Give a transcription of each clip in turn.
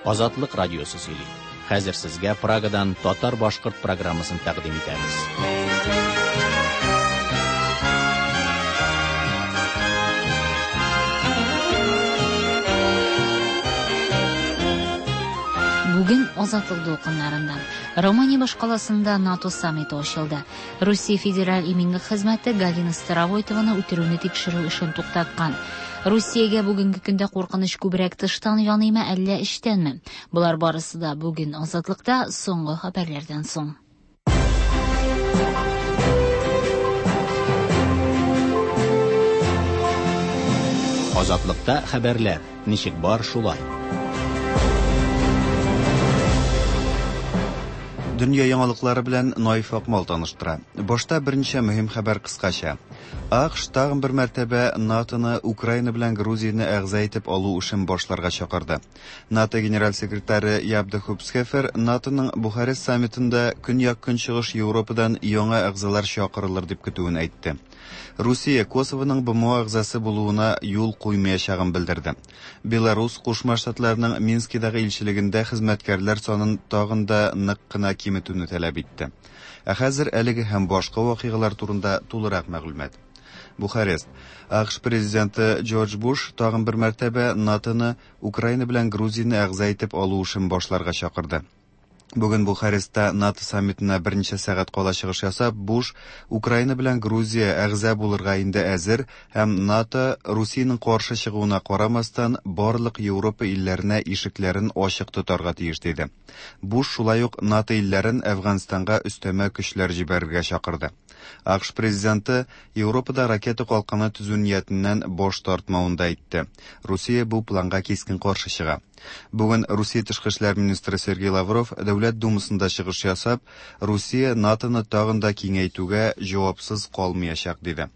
Азатлык радиосы сөйли. Хәзер сезгә Прагадан татар-башкорт программасын тәкъдим итәбез. Бүген Азатлык дулкыннарында Румыния башкаласында НАТО саммиты ачылды. Русия Федераль иминлек хезмәте Галина Старовойтованы үтерүне тикшерү эшен туктаткан. Русиягә бүгенге көндә куркыныч күбрәк тыштан яныймы, әллә эчтәнме? Болар барысы да бүген Азатлыкта соңгы хәбәрләрдән соң. Азатлыкта хәбәрләр ничек бар шулай. Дөнья яңалыклары белән Наиф Акмал таныштыра. Башта берничә мөһим хәбәр кыскача. АКШ тагын бер мәртәбә НАТОны Украина белән Грузияне әгъза итеп алу эшен башларга чакырды. НАТО генераль секретаре Яб де Хупсхефер НАТОның Бухарест саммитында Көньяк-Көнчыгыш Европадан яңа әгъзалар чакырылыр дип көтүен әйтте. Русия Косовоның БМО әгъзасы булуына юл куймаячагын белдерде. Беларус Кушма Штатларының Минскидагы илчелегендә хезмәткәрләр санын тагын да нык кына киметүне таләп итте. Ә хәзер әлеге һәм башка вакыйгалар турында тулырак мәгълүмат. Бухарест. АКШ президенты Джордж Буш тагын бер мәртәбә НАТОны Украина белән Грузияне әгъза итеп алу эшен башларга чакырды. Бүген Бухарестта НАТО саммитына берничә сәгать кала чыгыш ясап, Буш Украина белән Грузия әгъза булырга инде әзер һәм НАТО Русиянең каршы чыгуына карамастан барлык Европа илләренә ишекләрен ачык тотарга тиеш диде. Буш шулай ук НАТО илләрен Әфганстанга өстәмә көчләр җибәрергә чакырды. АКШ президенты Европада ракета калканы төзү ниятеннән баш тартмавын да әйтте. Русия бу планга кискен каршы чыга. Бүген Русия тышкы эшләр министры Сергей Лавров Дәүләт Думасында чыгыш ясап, Русия НАТОны тагын да киңәйтүгә җавапсыз калмаячак диде.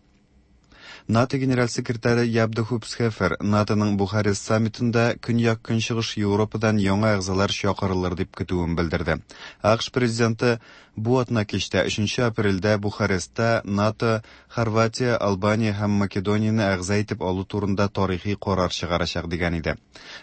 НАТО генераль секретаре Яб де Хупсхефер НАТОның Бухарест саммитында Көньяк-Көнчыгыш Европадан яңа әгъзалар чакырылыр дип көтүен белдерде. АКШ президенты бу атна кичтә 3 апрельдә Бухарестта НАТО Хорватия, Албания һәм Македонияне әгъза итеп алу турында тарихи карар чыгарачак дигән иде.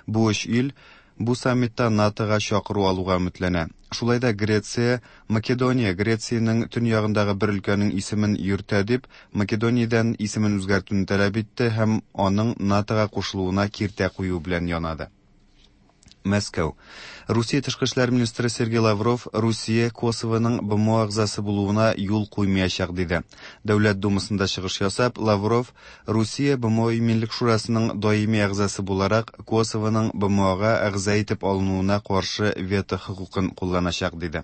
Бу өч ил бу саммитта НАТОга чакыру алуга өметләнә. Шулай да Греция, Македония Грециянең төньягындагы бер өлкәнең исемен йөртә дип, Македониядән исемен үзгәртүне таләп итте һәм аның НАТОга кушылуына киртә кую белән янады. Мәскәү. Русия тышкы эшләр министры Сергей Лавров Русия Косовоның БМО әгъзасы булуына юл куймаячак диде. Дәүләт Думасында чыгыш ясап, Лавров Русия БМО Иминлек шурасының даими әгъзасы буларак Косовоның БМОга әгъза итеп алынуына каршы вето хокукын кулланачак диде.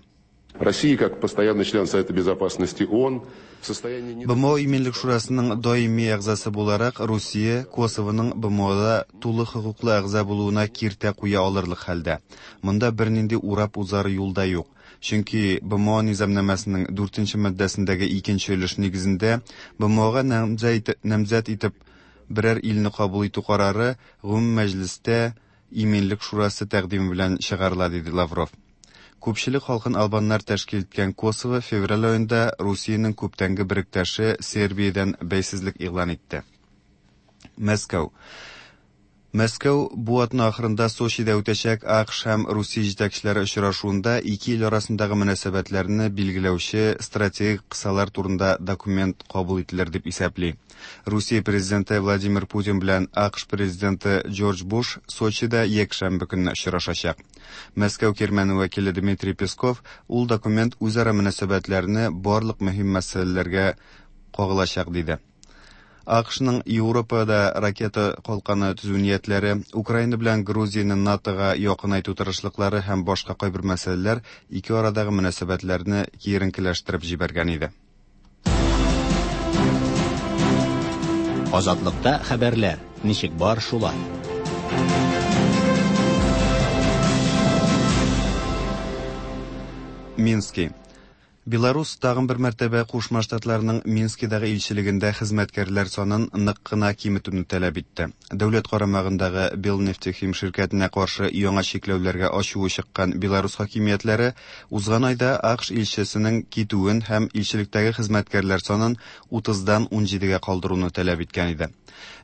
Россия, как постоянный член Совета Безопасности ООН, в состоянии... не БМО Иминлек шурасының даими әгъзасы буларак Русия Косовоның БМОда тулы хокуклы әгъза булуына киртә куя алырлык хәлдә. Монда бернинди урап узар юл да юк. Чөнки БМО низамнамәсенең 4 маддәсендәге икенче өлеш нигезендә БМОга намзәт итеп берәр илне кабул итү карары гомум мәҗлестә Иминлек шурасы тәкъдиме белән чыгарыла, диде Лавров. Күпчелек халкын албаннар тәшкил иткән Косово февраль аенда Русиянең күптәнге беректәше Сербиядән бәйсезлек игълан итте. Мәскәү. Мәскәү бу атна ахырында Сочида үтәчәк АКШ һәм Русия җитәкчеләре очрашуында ике ил арасындагы мөнәсәбәтләрне билгеләүче стратегик кысалар турында документ кабул ителер дип исәпли. Русия президенты Владимир Путин белән АКШ президенты Джордж Буш Сочида якшәмбе көнне очрашачак. Мәскәү кирмәне вәкиле Дмитрий Песков ул документ үзара мөнәсәбәтләрне барлык мөһим мәсьәләләргә кагылачак диде. АКШның Европада ракета калканы төзү ниятләре, Украина белән Грузияне НАТОга якынайту тырышлыклары һәм башка кайбер мәсьәләләр ике арадагы мөнәсәбәтләрне киеренкеләштереп җибәргән иде. Азатлыкта хәбәрләр ничек бар шулай. Мински. Беларус тагын бер мәртәбә Кушма Штатларының Минскидагы илчелегендә хезмәткәрләр санын нык кына киметүне таләп итте. Дәүләт карамагындагы Белнефтехим ширкәтенә каршы яңа чикләүләргә ачуы чыккан Беларус хакимиятләре узган айда АКШ илчесенең китүен һәм илчелектәге хезмәткәрләр санын 30-дан 17-гә калдыруны таләп иткән иде.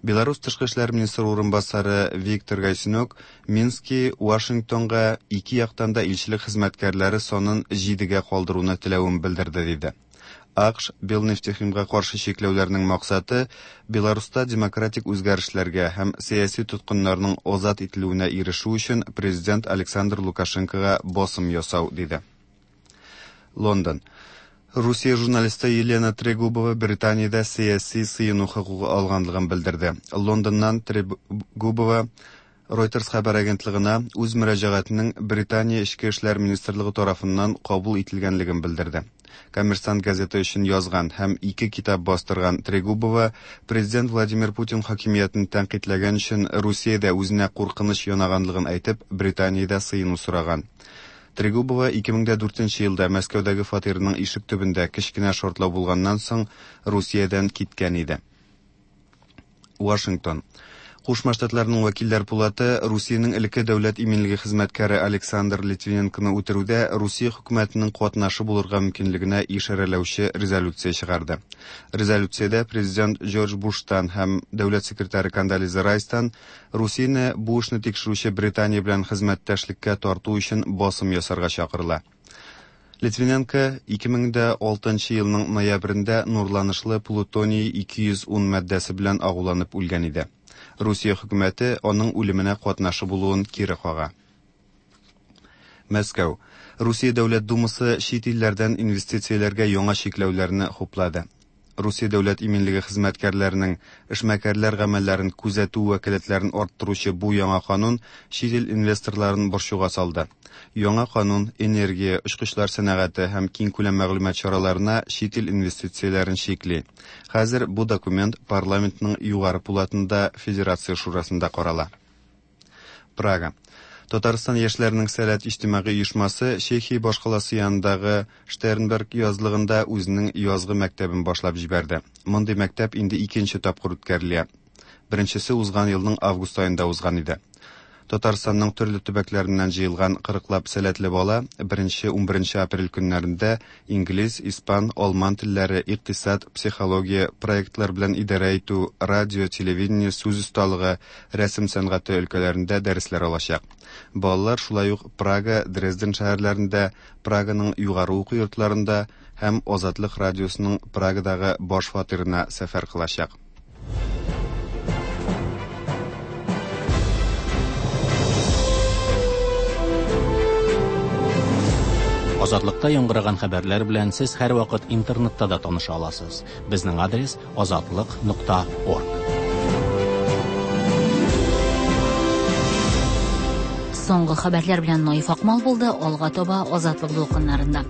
Беларус тышкы эшләр министры урынбасары Виктор Гайсинок Мински Вашингтонга ике яктан да илчелек хезмәткәрләре санын җидегә калдыруны теләвен белдерде, диде. АКШ Белнефтехимга каршы чикләүләрнең максаты Беларуста демократик үзгәрешләргә һәм сәяси тоткыннарның азат ителүенә ирешү өчен президент Александр Лукашенкога басым ясау, диде. Лондон. Русия журналисты Елена Трегубова Британиядә сәяси сыену хокукы алганлыгын белдерде. Лондоннан Трегубова Reuters хәбәр агентлыгына үз мөрәҗәгатенең Британия Эчке эшләр министрлыгы тарафыннан кабул ителгәнлеген белдерде. Коммерсант газеты өчен язган һәм ике китап бастырган Трегубова президент Владимир Путин хакимиятен тәнкыйтьләгән өчен Русиядә үзенә куркыныч янаганлыгын әйтеп, Британиядә сыену сораган. Трегубова 2004 елда Мәскәүдәге фатирының ишек төбендә кечкенә шартлау булганнан соң Русиядән киткән иде. Вашингтон. Кушма Штатларның вәкилләр пулаты Русиянең элекке дәүләт иминлеге хезмәткәре Александр Литвиненконы үтерүдә Русия хөкүмәтенең катнашы булырга мөмкинлегенә ишарәләүче резолюция чыгарды. Резолюциядә президент Джордж Буштан һәм дәүләт секретаре Кондолиза Райстан Русияне бу эшне тикшерүче Британия белән хезмәттәшлеккә тарту өчен басым ясарга чакырыла. Литвиненко 2006 елның ноябрендә нурланышлы плутоний 210 маддәсе белән агуланып үлгән иде. Русия хөкүмәте аның үлеменә катнашы булуын кире кага. Мәскәү. Русия Дәүләт Думасы чит илләрдән инвестицияләргә яңа чикләүләрне хуплады. Русия дәүләт иминлеге хезмәткәрләренең эшмәкәрләр гамәлләрен күзәтү вәкаләтләрен арттыручы бу яңа канун чит ил инвесторларын борчуга салды. Яңа канун энергия, очкычлар сәнәгате һәм киңкүләм мәгълүмат чараларына чит ил инвестицияләрен чикли. Хәзер бу документ парламентның югары пулатында Федерация шурасында карала. Прага. Татарстан яшьләренең Сәләт иҗтимагый оешмасы Чехия башкаласы янындагы Штернберг язлыгында үзенең язгы мәктәбен башлап җибәрде. Мондый мәктәп инде икенче тапкыр үткәрелә. Беренчесе узган елның август аенда узган иде. Татарстанның төрле төбәкләреннән җыелган кырыклап сәләтле бала беренче 11 апрель көннәрендә инглиз, испан, алман телләре, икътисад, психология, проектлар белән идарә итү, радио, телевидение, сүз осталыгы, рәсем сәнгате өлкәләрендә дәресләр алачак. Балалар шулай ук Прага, Дрезден шәһәрләрендә, Праганың югары уку йортларында һәм Азатлык радиосының Прагадагы баш фатирына сәфәр кылачак. Азатлыкта яңгыраган хәбәрләр белән сез һәрвакыт интернетта да таныша аласыз. Безнең адрес azatliq.org. Соңгы хәбәрләр белән Наиф Акмал булды, алга таба Азатлык дулкыннарында.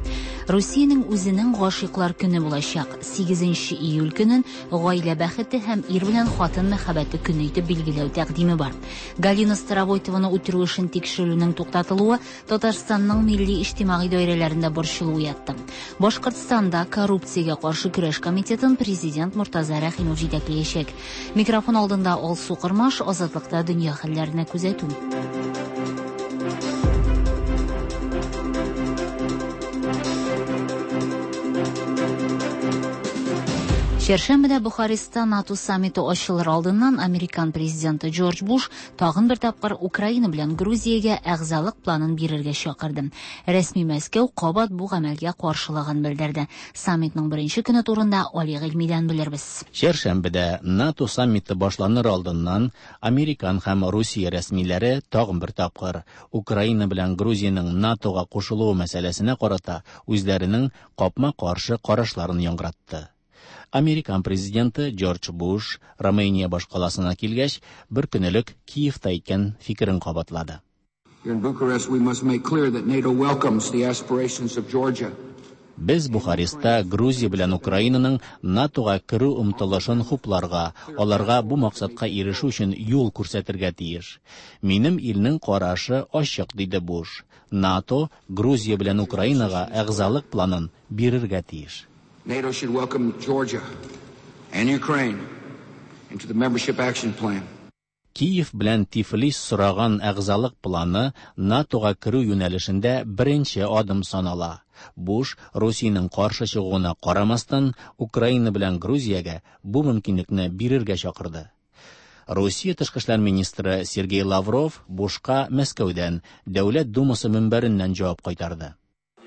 Русиянең үзенең гашыйклар көне булачак. 8 июль көнен гаилә бәхете һәм ир белән хатын мәхәббәте көне итеп билгеләү тәкъдиме бар. Галина Старовойтованы үтерү эшен тикшерүнең туктатылуы Татарстанның милли иҗтимагый даирәләрендә борчылу уятты. Башкортстанда коррупциягә каршы көрәш комитетын президент Мортаза Рәхимов җитәкләячәк. Микрофон алдында Алсу Кырмаш, Азатлыкта дөнья хәлләренә күзәтү. Чәршәмбедә Бухареста НАТО саммиты ачылыр алдыннан американ президенты Джордж Буш тагын бер тапкыр Украина белән Грузиягә әгъзалык планын бирергә чакырды. Рәсми Мәскәү кабат бу гамәлгә каршылыгын белдерде. Саммитның беренче көне турында Али Гыйльмидән белербез. Чәршәмбедә НАТО саммиты башланыр алдыннан Американ һәм Русия рәсмиләре тагын бер тапкыр Украина белән Грузиянең НАТОга кушылуы мәсьәләсенә карата үзләренең капма-каршы карашларын яңгыратты. Американ президенты Джордж Буш Романия башкаласына килгәч, бер көн элек Киевта әйткән фикерен кабатлады. Here in Bucharest, we must make clear that NATO welcomes the aspirations of Georgia. Без Бухареста Грузия белән Украинаның НАТОга керү омтылышын хупларга, аларга бу максатка ирешү өчен юл күрсәтергә тиеш. Минем илнең карашы ачык, диде Буш. НАТО Грузия белән Украинага әгъзалык планын бирергә тиеш. NATO should welcome Georgia and Ukraine into the membership action plan. Киев белән Тифлис сораган әгъзалык планы НАТОга керү юнәлешендә беренче адым санала. Буш Русиянең каршы чыгуына карамастан, Украина белән Грузиягә бу мөмкинлекне бирергә чакырды. Русия тышкы эшләр министры Сергей Лавров Бушка Мәскәүдән, Дәүләт Думасы мөнбәреннән җавап кайтарды.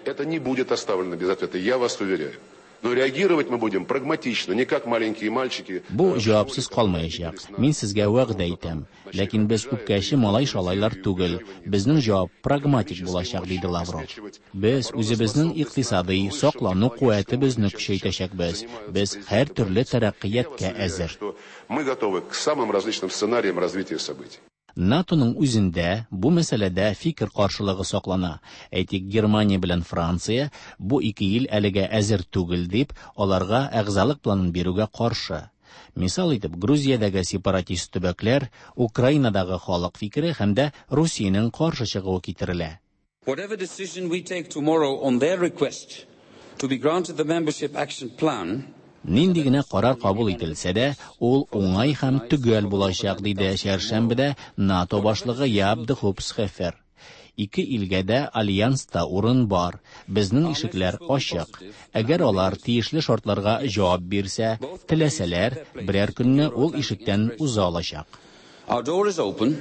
Это не будет оставлено без ответа, я вас уверяю. Но реагировать мы будем прагматично, не как маленькие мальчики. Бу җавапсыз калмаячак, мин сезгә вәгъдә итәм. Ләкин без үпкәче малай-шалайлар түгел, безнең җавап прагматик булачак, диде Лавров. Без үзебезнең икътисадый, саклану куәтебезне көчәйтәчәкбез. Без һәртөрле тәрәккыятькә әзер. Мы готовы к самым различным сценариям развития событий. НАТОның үзендә бу мәсьәләдә фикер каршылыгы саклана. Әйтик, Германия белән Франция бу ике ил әлегә әзер түгел дип, аларга әгъзалык планын бирүгә каршы. Мисал итеп, Грузиядәге сепаратист төбәкләр, Украинадагы халык фикере һәм дә Русиянең каршы чыгуы китерелә. Whatever decision we take tomorrow on their request to be granted the membership action plan, Нинди генә карар кабул ителсә дә, ул уңай һәм төгәл булачак, диде чәршәмбедә НАТО башлыгы Яап де Хоop Схефер. Ике илгә дә альянста урын бар, безнең ишекләр ачык. Әгәр алар тиешле шартларга җавап бирсә, теләсәләр, берәр көнне ул ишектән уза алачак. Our door is open,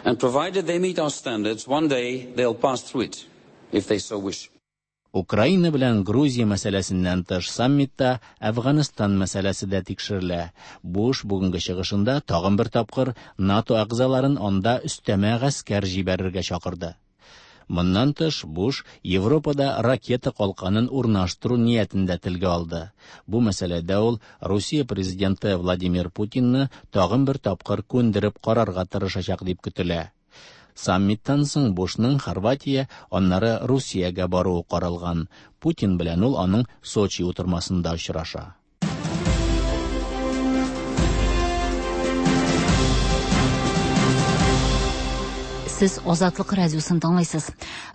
and provided they meet our standards, one day they'll pass through it, if they so wish. Украина белән Грузия мәсьәләсеннән тыш саммитта Әфганстан мәсьәләсе дә тикшерелә. Буш бүгенге чыгышында тагын бер тапкыр НАТО әгъзаларын анда өстәмә гаскәр җибәрергә чакырды. Моннан тыш Буш Европада ракета калканын урнаштыру ниятен дә телгә алды. Бу мәсьәләдә ул Русия президенты Владимир Путинны тагын бер тапкыр күндереп карарга тырышачак дип көтелә. Саммиттан соң Бушның Хорватия, аннары Русиягә баруы каралган. Путин белән ул аның Сочи утырмасында очраша. Сез Азатлык радиосын тыңлыйсыз.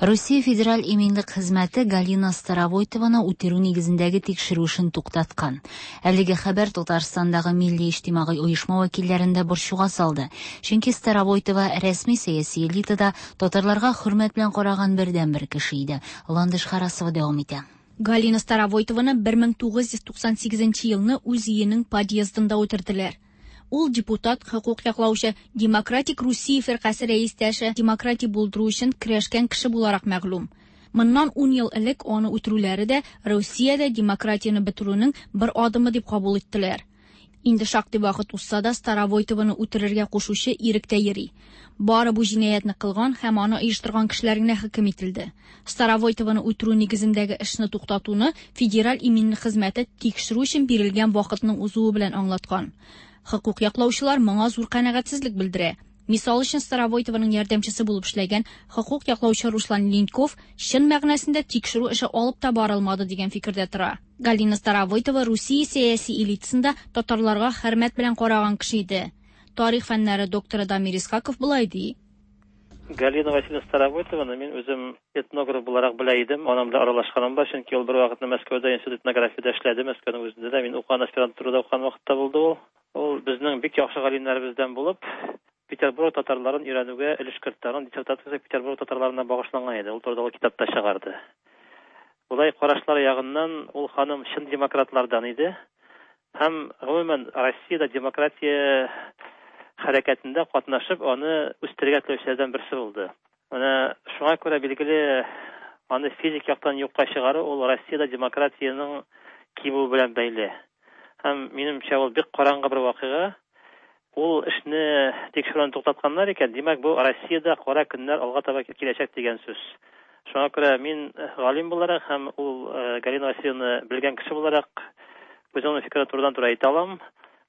Русия Федераль иминлек хезмәте Галина Старовойтованы үтерү нигезендәге тикшерү эшен туктаткан. Әлеге хәбәр Татарстандагы милли иҗтимагый оешма вәкилләрен дә борчуга салды. Чөнки Старовойтова рәсми сәяси элитада татарларга хөрмәт белән караган бердәнбер кеше иде. Ландыш Харасова дәвам итә. Галина Старовойтованы 1998 елны үз өенең подъездында үтерделәр. Ул депутат, хокук яклаучы, Демократик Русия фиркасе рәистәше, демократия булдыру өчен көрәшкән кеше буларак мәгълүм. Моннан 10 ел элек аны үтерүләре дә Русиядә демократияне бетерүнең бер адымы дип кабул иттеләр. Инде шактый вакыт узса да Старовойтованы үтерергә кушучы иректә йөри. Бары бу җинаятьне кылган һәм аны оештырган кешеләр генә хөкем ителде. Старовойтованы үтерү нигезендәге эшне туктатуны Федераль иминлек хезмәте тикшерү өчен бирелгән вакытның узуы белән аңлаткан. Хокук яклаучылар моңа зур канәгатьсезлек белдерә. Мисал өчен Старовойтованың ярдәмчесе булып эшләгән хокук яклаучы Руслан Линьков чын мәгънәсендә тикшерү эше алып та барылмады дигән фикердә тора. Галина Старовойтова Русия сәяси элитасында татарларга хөрмәт белән караган кеше иде. Тарих фәннәре докторы Дамир Исхаков болай ди. Галина Васильевна Старовойтованы мин үзем этнограф буларак белә идем, аның белән аралашканым бар, чөнки ул бер вакытны Мәскәүдә институт этнографиядә эшләде, Мәскәүнең үзендә дә мин укыган аспирантурада укыган вакытта булды ул. Ул безнең бик яхшы галимнәребездән булып, Петербург татарларын өйрәнүгә өлеш кертте. Аның диссертациясе Петербург татарларына багышланган иде. Ул турыда ул китап та чыгарды. Болай карашлар ягыннан ул ханым чын демократлардан иде. Һәм гомумән Россиядә демократия хәрәкәтендә катнашып, аны үстерергә теләүчеләрдән берсе булды. Менә шуңа күрә билгеле аны физик яктан юкка чыгару ул Россиядә демократиянең кимүе белән бәйле. Һәм минемчә ул бик караңгы бер вакыйга. Ул эшне тикшерүне туктатканнар икән, димәк бу Россиядә кара көннәр алга таба киләчәк дигән сүз. Шуңа күрә мин галим буларак һәм ул Галина Васильевна белгән кеше буларак үземнең фикерне турыдан-туры әйтә алам.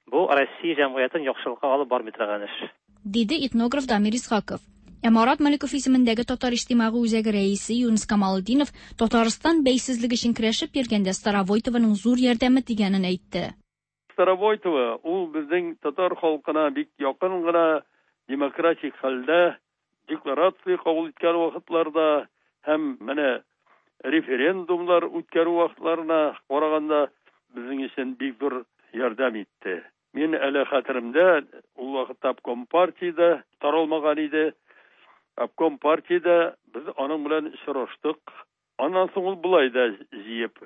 Бу Россия җәмгыятен яхшылыкка алып бармый торган эш. Диде этнограф Дамир Исхаков. Ә Марат Маликов исемендәге Татар иҗтимагый үзәге рәисе Юныс Камалетдинов Татарстан бәйсезлеге өчен көрәшеп йөргәндә Старовойтованың зур ярдәме тигәнен әйтте. Старовойтова ул безнең татар халкына бик якын гына демократик хәлдә декларация кабул иткән вакытларда һәм менә референдумлар үткәрү вакытларына караганда безнең өчен бик зур ярдәм итте. Мин әле хәтеремдә, ул вакытта обком партиядә таралмаган иде. Обком партиядә без аның белән очраштык. Аннан соң ул болай да җыеп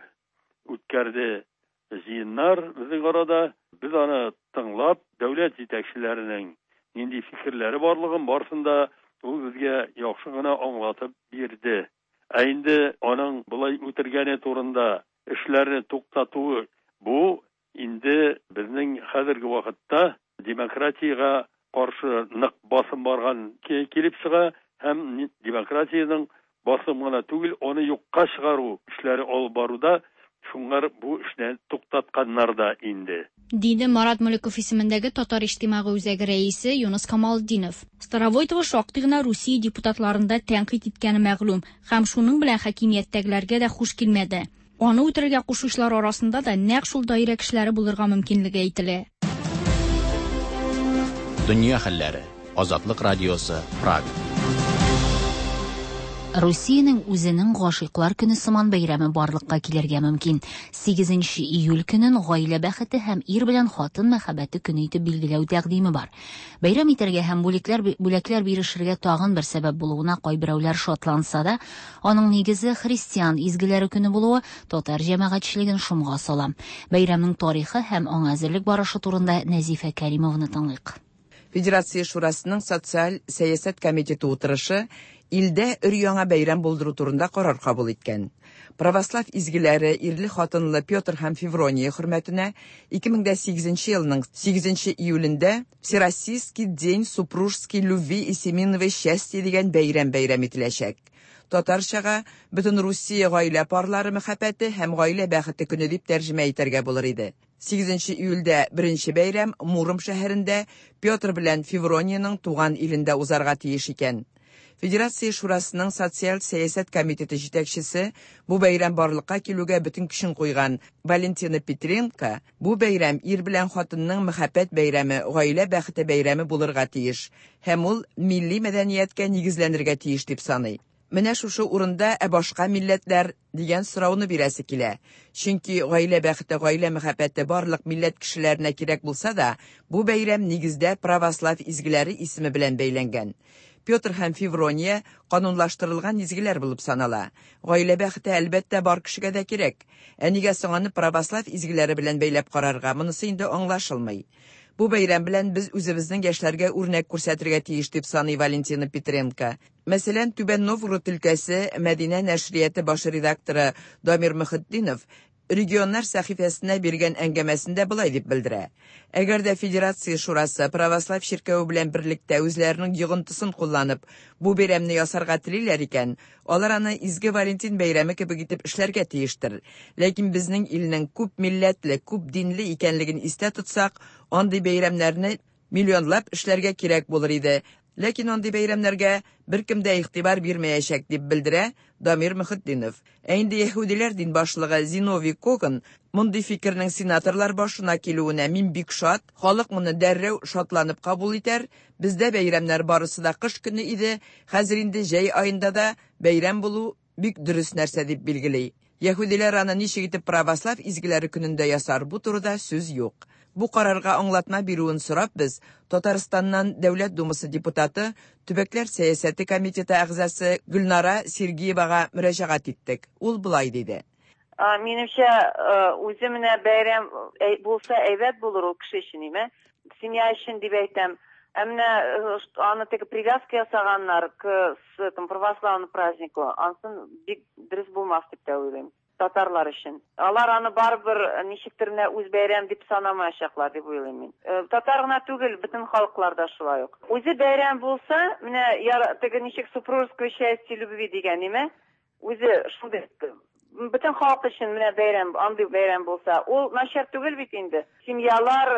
үткәрде җыеннар безнең арада. Без аны тыңлап, дәүләт җитәкчеләренең нинди фикерләре барлыгын барысын да ул безгә яхшы гына аңлатып бирде. Ә инде аның болай үтергәне турында эшләрне туктатуы бу инде безнең хәзерге вакытта демократиягә каршы нык басым барган килеп чыга һәм демократиянең басым гына түгел, аны юкка чыгару эшләре алып баруда шуңар бу эшне туктатканнар да инде. Диде Марат Мөлеков исемендәге Татар иҗтимагый үзәге рәисе Юныс Камалтдинов. Старовойтова шактый гына Русия депутатларын да тәнкыйть иткәне мәгълүм һәм шуның белән хакимияттәгеләргә дә хуш килмәде. Аны үтерергә кушучылар арасында да нәкъ шул даирә кешеләре булырга мөмкинлеге әйтелә. Дөнья хәлләре. Азатлык радиосы, Прага. Русиянең үзенең гашыйклар көне сыман бәйрәме барлыкка килергә мөмкин. 8 июль көнен гаилә бәхете һәм ир белән хатын мәхәббәте көне итеп билгеләү тәкъдиме бар. Бәйрәм итәргә һәм бүлекләр бүләкләр бирешергә тагын бер сәбәп булуына кайберәүләр шатланса да, аның нигезе христиан изгеләре көне булуы татар җәмәгатьчелеген шомга сала. Бәйрәмнең тарихы һәм аңа әзерлек барышы турында Нәзифә Кәримованы тыңлыйк. Федерация Шурасының социаль сәясәт комитеты утырышы илдә өр-яңа бәйрәм булдыру турында карар кабул иткән. Православ изгеләре ирле-хатынлы Петр һәм Феврония хөрмәтенә 2008 елның 8 июлендә Всероссийский день супружеской любви и семейного счастья дигән бәйрәм бәйрәм ителәчәк. Татарчага бөтен Русия гаилә парлары мәхәббәте һәм гаилә бәхете көне дип тәрҗемә итәргә булыр иде. 8 июльдә беренче бәйрәм Муром шәһәрендә Петр белән Феврониянең туган илендә узарга тиеш икән. Федерация Шурасының социаль сәясәт комитеты җитәкчесе бу бәйрәм барлыкка килүгә бөтен көчен куйган Валентина Петренко бу бәйрәм ир белән хатынның мәхәббәт бәйрәме, гаилә бәхете бәйрәме булырга тиеш һәм ул милли мәдәнияткә нигезләнергә тиеш дип саный. Менә шушы урында ә башка милләтләр дигән сорауны бирәсе килә. Чөнки гаилә бәхете, гаилә мәхәббәте барлык милләт кешеләренә кирәк булса да, бу бәйрәм нигездә православ изгеләре исеме белән бәйләнгән. Петр һәм Феврония канунлаштырылган изгеләр булып санала. Гаилә бәхете әлбәттә бар кешегә дә кирәк. Ә нигә соң аны православ изгеләре белән бәйләп карарга, монысы инде аңлашылмый. Бу бәйрәм белән без үзебезнең яшьләргә үрнәк күрсәтергә тиеш дип саный Валентина Петренко. Мәсәлән, Түбән Новгород өлкәсе Мәдинә нәшрияты баш редакторы Дамир Мөхетдинов регионнар сәхифәсенә биргән әңгәмәсендә болай дип белдерә. Әгәр дә Федерация Шурасы православ чиркәве белән берлектә үзләренең йогынтысын кулланып, бу бәйрәмне ясарга телиләр икән, алар аны Изге Валентин бәйрәме кебек итеп эшләргә тиештер. Ләкин безнең илнең күп милләтле, күп динле икәнлеген истә тотсак, андый бәйрәмнәрне миллионлап эшләргә кирәк булыр иде. Ләкин андый бәйрәмнәргә беркем дә игътибар бирмәячәк дип белдерә Дамир Мөхетдинов. Ә инде яһүдиләр дин башлыгы Зиновий Коган мондый фикернең сенаторлар башына килүенә мин бик шат, халык моны дәррәү шатланып кабул итәр. Бездә бәйрәмнәр барысы да кыш көне иде, хәзер инде җәй аенда да бәйрәм булу бик дөрес нәрсә дип билгели. Яһүдиләр аны ничек итеп православ изгеләре көнендә ясар, бу турыда сүз юк. Бу карарга аңлатма бирүен сорап без Татарстаннан Дәүләт Думасы депутаты, Төбәкләр сәясәте комитеты әгъзасы Гөлнара Сергеевага мөрәҗәгать иттек. Ул болай диде. Минемчә, үзе менә бәйрәм булса әйбәт булыр ул кеше өчен, име? Семья өчен дип әйтәм. Ә менә аны теге привязка ясаганнар к этому православному празднику, ансын бик дөрес булмас дип тә уйлыйм. Татарлар өчен. Алар аны барыбер ничектер менә үз бәйрәм дип санамаячаклар дип уйлыйм мин. Татар гына түгел, бөтен халыклар да шулай ук. Үзе бәйрәм булса, менә теге ничек супружеское счастье любви дигән, име? Үзе шундый бөтен халык өчен менә бәйрәм, андый бәйрәм булса, ул начар түгел бит инде. Семьялар,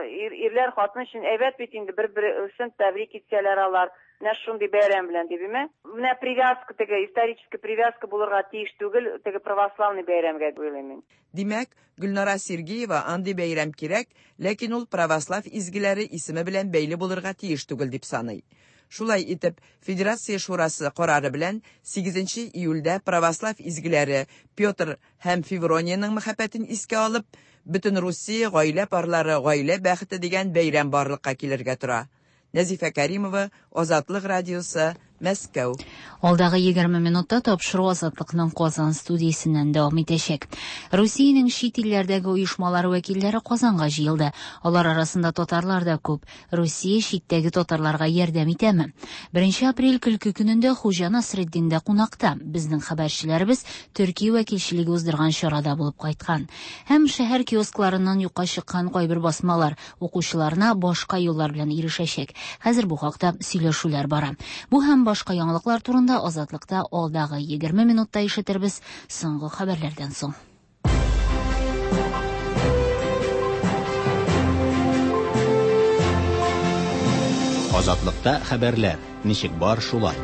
ирләр, хатын өчен әйбәт бит инде, бер-берсен тәбрик итсәләр алар. Менә шундый бәйрәм белән дип, име? Менә привязка теге исторический привязка булырга тиеш түгел, теге православный бәйрәмгә дип уйлыйм мин. Димәк, Гөлнара Сергеева андый бәйрәм кирәк, ләкин ул православ изгеләре исеме белән бәйле булырга тиеш түгел дип саный. Шулай итеп, Федерация Шурасы карары белән 8 июльдә православ изгеләре Петр һәм Феврониянең мәхәббәтен искә алып, бөтен Русия гаилә парлары гаилә бәхете дигән бәйрәм барлыкка килергә тора. Нәзифә Кәримова, Азатлык радиосы, Мәскәү. Алдагы 20 минутта тапшыру Азатлыкның Казан студиясеннән дәвам итәчәк. Русиянең чит илләрдәге оешмалары вәкилләре Казанга җыелды. Алар арасында татарлар да күп. Русия читтәге татарларга ярдәм итәме? 1 апрель көлке көнендә Хуҗа Насретдиндә кунакта. Безнең хәбәрчеләребез Төркия вәкилчелеге уздырган чарада булып кайткан. Һәм шәһәр киоскларыннан юкка чыккан кайбер басмалар укучыларына башка юллар белән ирешәчәк. Хәзер бу хакта сөйләшүләр бара. Бу һәм башка яңалыклар турында Азатлыкта алдагы 20 минутта ишетербез соңгы хәбәрләрдән соң. Азатлыкта хәбәрләр ничек бар шулай.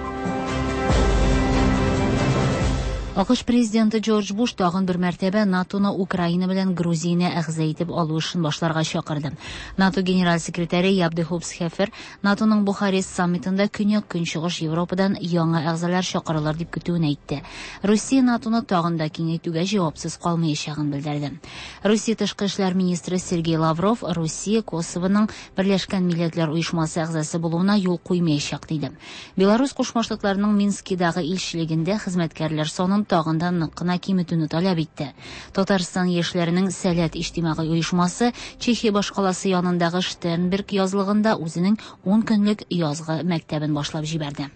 АКШ президенты Джордж Буш тагын бер мәртәбә НАТОны Украина белән Грузияне әгъза итеп алу эшен башларга чакырды. НАТО генераль секретаре Яб де Хоп Схефер НАТОның Бухарест саммитында Көньяк-Көнчыгыш Европадан яңа әгъзалар чакырылыр дип көтүен әйтте. Русия НАТОны тагын да киңәйтүгә җавапсыз калмаячагын белдерде. Русия тышкы эшләр министры Сергей Лавров Русия Косовоның Берләшкән Милләтләр Оешмасы әгъзасы булуына юл куймаячак диде. Беларусь Кушма Штатларының Минскидагы илчелегендә хезмәткәрләр санын тагын да нык кына киметүне таләп итте. Татарстан яшьләренең Сәләт иҗтимагый оешмасы Чехия башкаласы янындагы Штернберг язлыгында үзенең 10 көнлек язгы мәктәбен башлап җибәрде.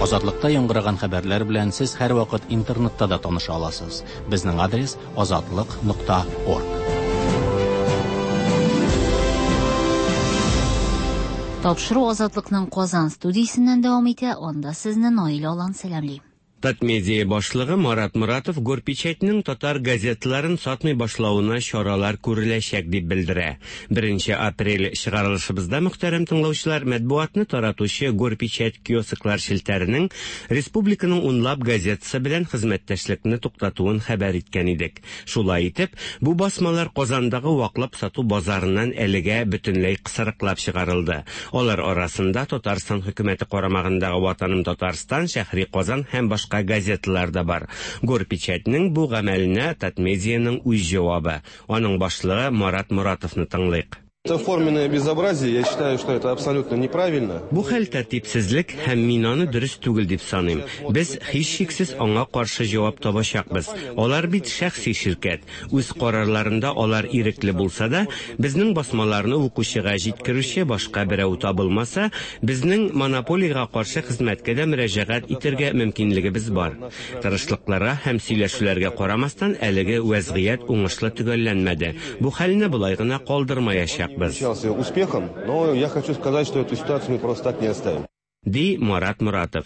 Азатлыкта яңгыраган хәбәрләр белән сез һәрвакыт интернетта да таныша аласыз. Безнең адрес azatliq.org. Тапшыру Азатлыкның Казан студиясеннән дәвам итә. Анда сезне Наилә Алан сәламли. Татмедиа башлыгы Марат Моратов Горпечатьның татар газеталарын сатмый башлавына чаралар күреләчәк дип белдерә. 1 апрель чыгарылышыбызда мөхтәрәм тыңлаучылар матбугатны таратучы Горпечать киосклар челтәренең республиканың унлап газетасы белән хезмәттәшлекне туктатуын хәбәр иткән идек. Шулай итеп, бу басмалар Казандагы ваклап сату базарыннан әлегә бөтенләй кысрыклап чыгарылды. Алар арасында Татарстан хөкүмәте карамагындагы Ватаным Татарстан, Шәһри Казан һәм башка газеталар да бар. Горпечатьның бу гамәленә Татмедианың үз җавабы. Аның башлыгы Марат Моратовны тыңлыйк. Это форменное безобразие, я считаю, что это абсолютно неправильно. Бу хәл тәртипсезлек һәм мин аны дөрес түгел дип саныйм. Без һичшиксез аңа каршы җавап табачакбыз. Алар бит шәхси ширкәт. Үз карарларында алар ирекле булса да, безнең басмаларны укучыга җиткерүче башка берәү табылмаса, безнең монополиягә каршы хезмәткә дә мөрәҗәгать итәргә мөмкинлегебез бар. Тырышлыкларга һәм сөйләшүләргә карамастан, әлеге вәзгыять уңышлы төгәлләнмәде. Бу хәлне болай гына калдырмаячак. Успехом, но я хочу сказать, что эту ситуацию мы просто так не оставим. Ди Марат Моратов.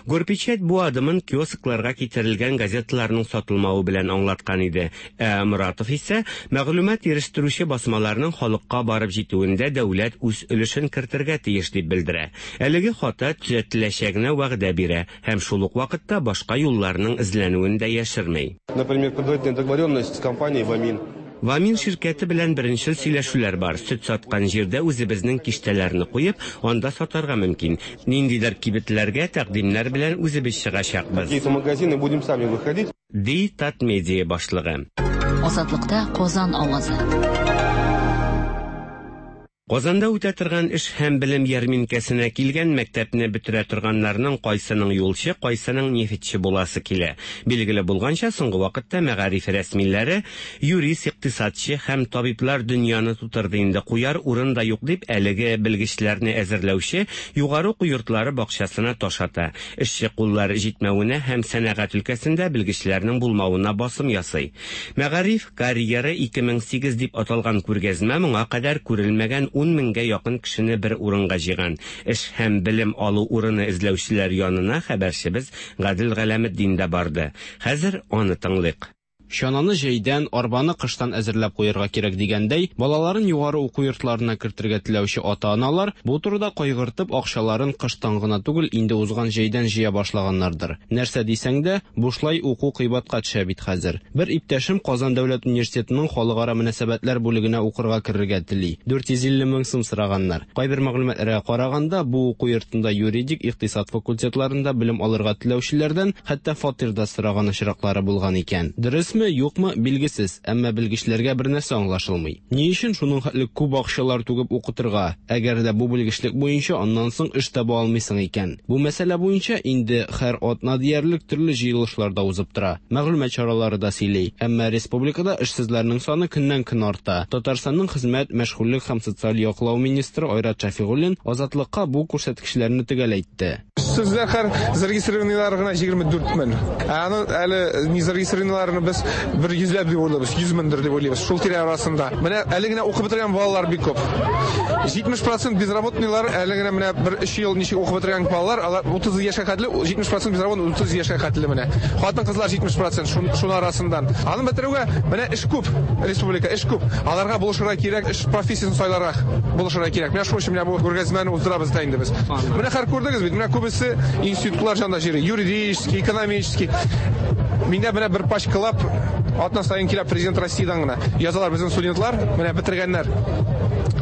Горпечать бу адымын киоскларга китерелгән газеталарның сатылмавы белән аңлаткан иде. Ә Моратов исә мәгълүмат ирештерүче басмаларның халыкка барып җитүендә дәүләт үз өлешен кертергә тиеш дип белдерә. Әлеге хата төзәтеләчәгенә вәгъдә бирә һәм шул ук вакытта башка юлларның эзләнүен дә яшерми. Например, предварительная договоренность с компанией «Вамин». Вамин ширкәте белән беренчел сөйләшүләр бар. Сөт саткан җирдә үзебезнең киштәләрне куеп, анда сатарга мөмкин. Ниндидер кибетләргә тәкъдимнәр белән үзебез чыгачакбыз. Какие-то магазины будем сами выходить. Ди Татмедиа башлыгы. Азатлыкта Казан авазы. Казанда үтә торган эш һәм белем ярминкәсенә килгән мәктәпне бетерә торганнарның кайсының юлчы, кайсының нефтьче буласы килә. Билгеле булганча, соңгы вакытта мәгариф рәсмиләре юрист, икътисадчы һәм табиблар дөньяны тутырды инде, куяр урын да юк дип әлеге белгечләрне әзерләүче югары уку йортлары бакчасына таш ата. Эшче куллар җитмәвенә һәм сәнәгать өлкәсендә белгечләрнең булмавына басым ясый. Мәгариф карьера 2008 дип аталган күргәзмә моңа кадәр күрелмәгән 10 меңгә якын кешене бер урынга җыйган. Эш һәм белем алу урыны эзләүчеләр янына хәбәрчебез Гадел Галәметдин дә барды. Хәзер аны тыңлыйк. Чананы җәйдән, арбаны кыштан әзерләп куярга кирәк дигәндәй, балаларын югары уку йортларына кертергә теләүче ата-аналар бу турыда кайгыртып, акчаларын кыштан гына түгел, инде узган җәйдән җыя башлаганнардыр. Нәрсә дисәң дә, бушлай уку кыйбатка төшә бит хәзер. Бер иптәшем Казан дәүләт университетының халыкара мөнәсәбәтләр бүлегенә укырга керергә тели. 450 мең сум сораганнар. Кайбер мәгълүматларга караганда, бу уку йортында юридик, икътисад факультетларында белем алырга теләүчеләрдән хәтта фатир да сораган очраклары булган икән. Дөресме? Дөресме, юкмы, билгесез, әмма белгечләргә бер нәрсә аңлашылмый. Ни өчен шуның хәтле күп акчалар түгеп укытырга, әгәр дә бу белгечлек буенча аннан соң эш таба алмыйсың икән? Бу мәсьәлә буенча инде һәр атна диярлек төрле җыелышлар да узып тора, мәгълүмат чаралары да сөйли. Әмма республикада эшсезләрнең саны көннән-көн арта. Татарстанның хезмәт, мәшгульлек һәм социаль яклау министры Айрат Шәфигуллин Азатлыкка бу күрсәткечләрне төгәл әйтте. Эшсезләр хәр зарегистрированныйлар гына 24 мең. Ә аны әле не зарегистрированныйларны без бер йөзләп дип уйлыйбыз, 100 меңдер дип уйлыйбыз, шул тирә арасында. Менә әле генә укып бетергән балалар бик күп. 70% безработныйлар әле генә менә бер өч ел ничек укып бетергән балалар, алар 30 яшькә хәтле, 70% безработный 30 яшькә хәтле менә. Хатын-кызлар 70% шун, шуны арасыннан. Аны бетерүгә менә эш күп, республика эш күп. Аларга булышырга кирәк, эш профессиясен сайларга булышырга кирәк. Менә шуның өчен менә бу күргәзмәне уздырабыз да инде без. Менә хәр күрдегез бит, менә күбесе институтлар җанда җыри, юридический, экономический. Миндә менә бер пачкалап атна саен килә президент Россиядән генә. Язалар безнең студентлар, менә бетергәннәр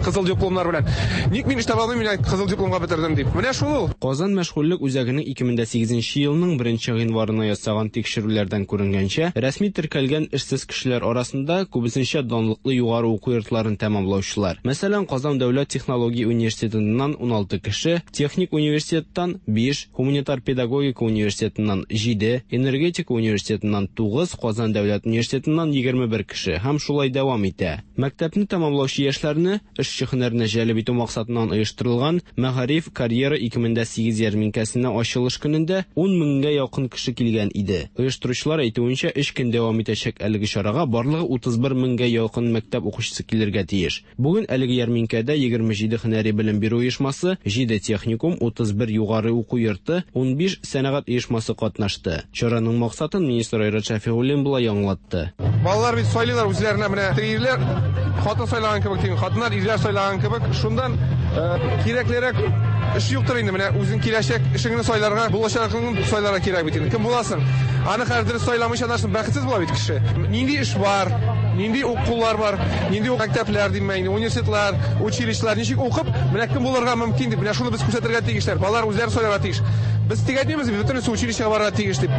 кызыл дипломнар белән. Ник мин эш таба алмыйм, мин кызыл дипломга бетердем дип. Менә шул ул. Казан мәшгульлек үзәгенең 2008 елның 1 гыйнварына ясаган тикшерүләрдән күренгәнчә, рәсми теркәлгән эшсез кешеләр арасында күбесенчә данлыклы югары уку йортларын тәмамлаучылар. Мәсәлән, Казан дәүләт технология университетыннан 16 кеше, техник университеттан 5, гуманитар-педагогика университетыннан 7, энергетика университетыннан 9, Казан дәүләт университетыннан 21 кеше һәм шулай дәвам итә. Мәктәпне тәмамлаучы яшьләрне эшче һөнәренә җәлеп итү максатыннан оештырылган Мәгариф карьера 2008 ярминкәсенә ачылыш көнендә 10 меңгә якын кеше килгән иде. Оештыручылар әйтүенчә, өч көн дәвам итәчәк әлеге чарага барлыгы 31 меңгә якын мәктәп укучысы килергә тиеш. Бүген әлеге ярминкәдә 27 һөнәри белем бирү оешмасы, 7 техникум, 31 югары уку йорты, 15 сәнәгать оешмасы катнашты. Чараның максатын министр Айрат Шәфигуллин болай аңлатты. Балалар бит сайлыйлар үзләренә менә ирләр хатын сайлаган кебек дим, хатыннар ирләр сайлаган кебек. Шундан кирәклерәк эш юктыр инде. Менә үзең киләчәк эшеңне сайларга, булачагыңны сайларга кирәк бит инде. Кем буласың? Аны хәзер дөрес сайламыйча аннан бәхетсез була бит кеше. Нинди эш бар, нинди укулар бар, нинди мәктәпләр дим инде, университетлар, училищелар ничек укып, менә кем булырга мөмкин дип, менә шуны без күрсәтергә тиешләр. Балалар үзләре сайларга тиеш. Без тик әйтмибез, бөтенесе училищега барырга тиеш дип,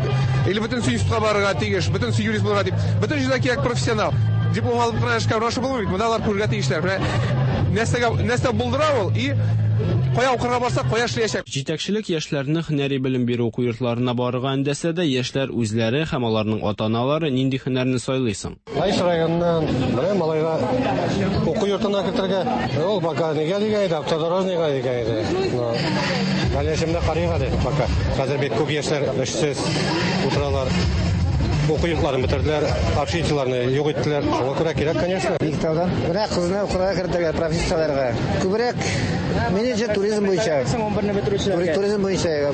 или бөтенесе институтка барырга тиеш, бөтенесе юрист булырга дип. Бөтен җирдә кирәк профессионал. Диплом алып кына эшкә урнашып булмый бит. Монда алар күрергә тиешләр. Менә нәрсәгә нәрсә булдыра ул и кая укырга барса, кая эшләячәк. Җитәкчелек яшьләрне һөнәри белем бирү уку йортларына барырга өндәсә дә, яшьләр үзләре һәм аларның ата-аналары нинди һөнәрне сайлый соң? Лаеш районыннан менә малайга уку йортына кертергә. Ул пока нигә дигән иде, автодорожныйга дигән иде. Но дальнейшемдә карыйк әле пока. Хәзер бик күп яшьләр эшсез утыралар. Уку йортларын бетерделәр, общежитиеләрне юк иттеләр. Шуңа күрә кирәк, конечно. Биектаудан. Менә кызны укырга кертергә, профессияләргә. Күбрәк менеджер туризм буенча. Туризм буенча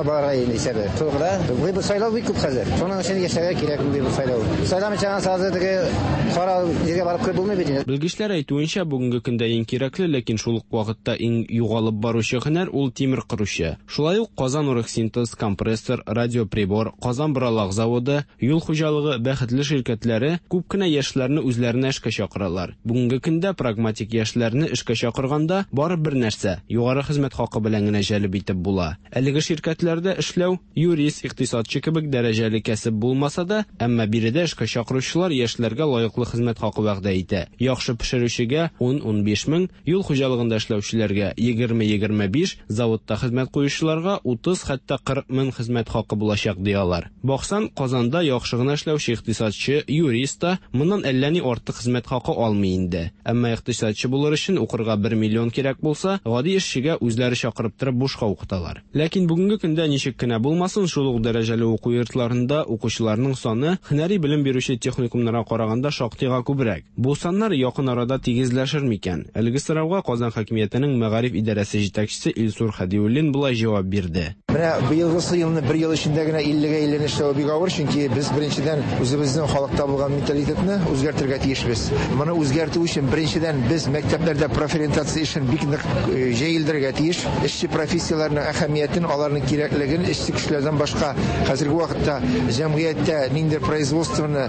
барырга инде исәбе. Шул гына. Выбор сайлау бик күп хәзер. Шуның өчен яшәргә кирәк выбор сайлау. Сайламыйча сразу теге кара җиргә барып кереп булмый бит инде. Белгечләр әйтүенчә, бүгенге көндә иң кирәкле, ләкин шул ук вакытта иң югалып баручы һөнәр ул тимер кыручы. Шулай ук Казан Оргсинтез, компрессор, радиоприбор, Казан Боралак заводы, юл хуҗалыгы, бәхетле ширкәтләре күп кенә яшьләрне үзләренә эшкә чакыралар. Бүгенге көндә прагматик яшьләрне эшкә чакырганда бары бер нәрсә югары хезмәт хакы белән генә җәлеп итеп була. Әлеге ширкәтләрдә эшләү юрист, икътисадчы кебек дәрәҗәле кәсеп булмаса да, әмма биредә эшкә чакыручылар яшьләргә лаеклы хезмәт хакы вәгъдә итә. Яхшы пешерүчегә 10-15 мең, юл хуҗалыгында эшләүчеләргә 20-25, заводта хезмәт куючыларга 30 хәтта 40 мең хезмәт хакы булачак ди алар. Баксаң, Казанда яхшы гына эшләүче икътисадчы, юрист та моннан әллә ни артык хезмәт хакы алмый инде. Әмма икътисадчы булыр өчен укырга 1 миллион кирәк булса, гади эшчегә үзләре чакырып торып бушка укыталар. Ләкин бүгенге көндә ничек кенә булмасын, шул ук дәрәҗәле уку йортларында укучыларның саны һөнәри белем бирүче техникумнарга караганда шактыйга күбрәк. Бу саннар якын арада тигезләшер микән? Әлеге сорауга Казан хакимиятенең мәгариф идарәсе җитәкчесе Илсур Хәдиуллин болай җавап бирде. Менә быелгысы елны бер ел эчендә генә 50-гә 50 эшләү бик авыр, чөнки без беренчедән үзебезнең халыкта булган менталитетны үзгәртергә тиешбез. Моны үзгәртү өчен беренчедән без мәктәпләрдә профориентация эшен бик нык җәелдерергә тиеш. Эшче профессияләрнең әһәмиятен, аларның кирәклеген эшче кешеләрдән башка хәзерге вакытта җәмгыятьтә ниндидер производствоны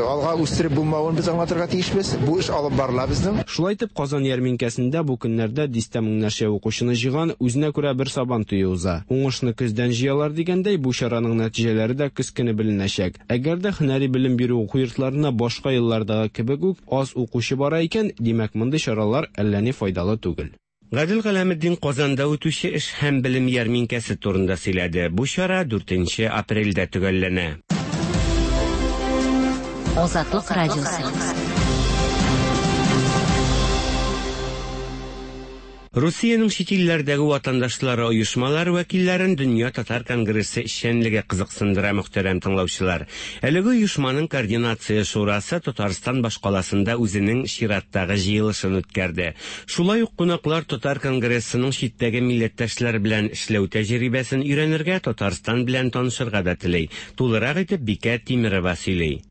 алга үстереп булмавын без аңлатырга тиешбез. Бу эш алып барыла безнең. Шулай итеп, Казан ярминкәсендә бу көннәрдә дистә меңнәрчә укучыны җыйган үзенә күрә бер сабан туе уза. Уңышны Уңышны көздән җыялар дигәндәй, бу чараның нәтиҗәләре дә көз көне беленәчәк. Әгәр дә һөнәри белем бирү уку йортларына башка еллардагы кебек үк аз укучы бара икән, димәк, мондый чаралар әллә ни файдалы түгел. Гадел Галәметдин Казанда үтүче эш һәм белем ярминкәсе турында сөйләде. Бу чара дүртенче апрельдә төгәлләнә. Азатлык радиосы. Русиянең чит илләрдәге ватандашлары оешмалары вәкилләрен Дөнья татар конгрессы эшчәнлеге кызыксындыра, мөхтәрәм тыңлаучылар. Әлеге оешманың координация шурасы Татарстан башкаласында үзенең чираттагы җыелышын үткәрде. Шулай ук кунаклар татар конгрессының читтәге милләттәшләр белән эшләү тәҗрибәсен өйрәнергә, Татарстан белән танышырга да тели. Тулырак итеп Бикә Тимерова сөйли.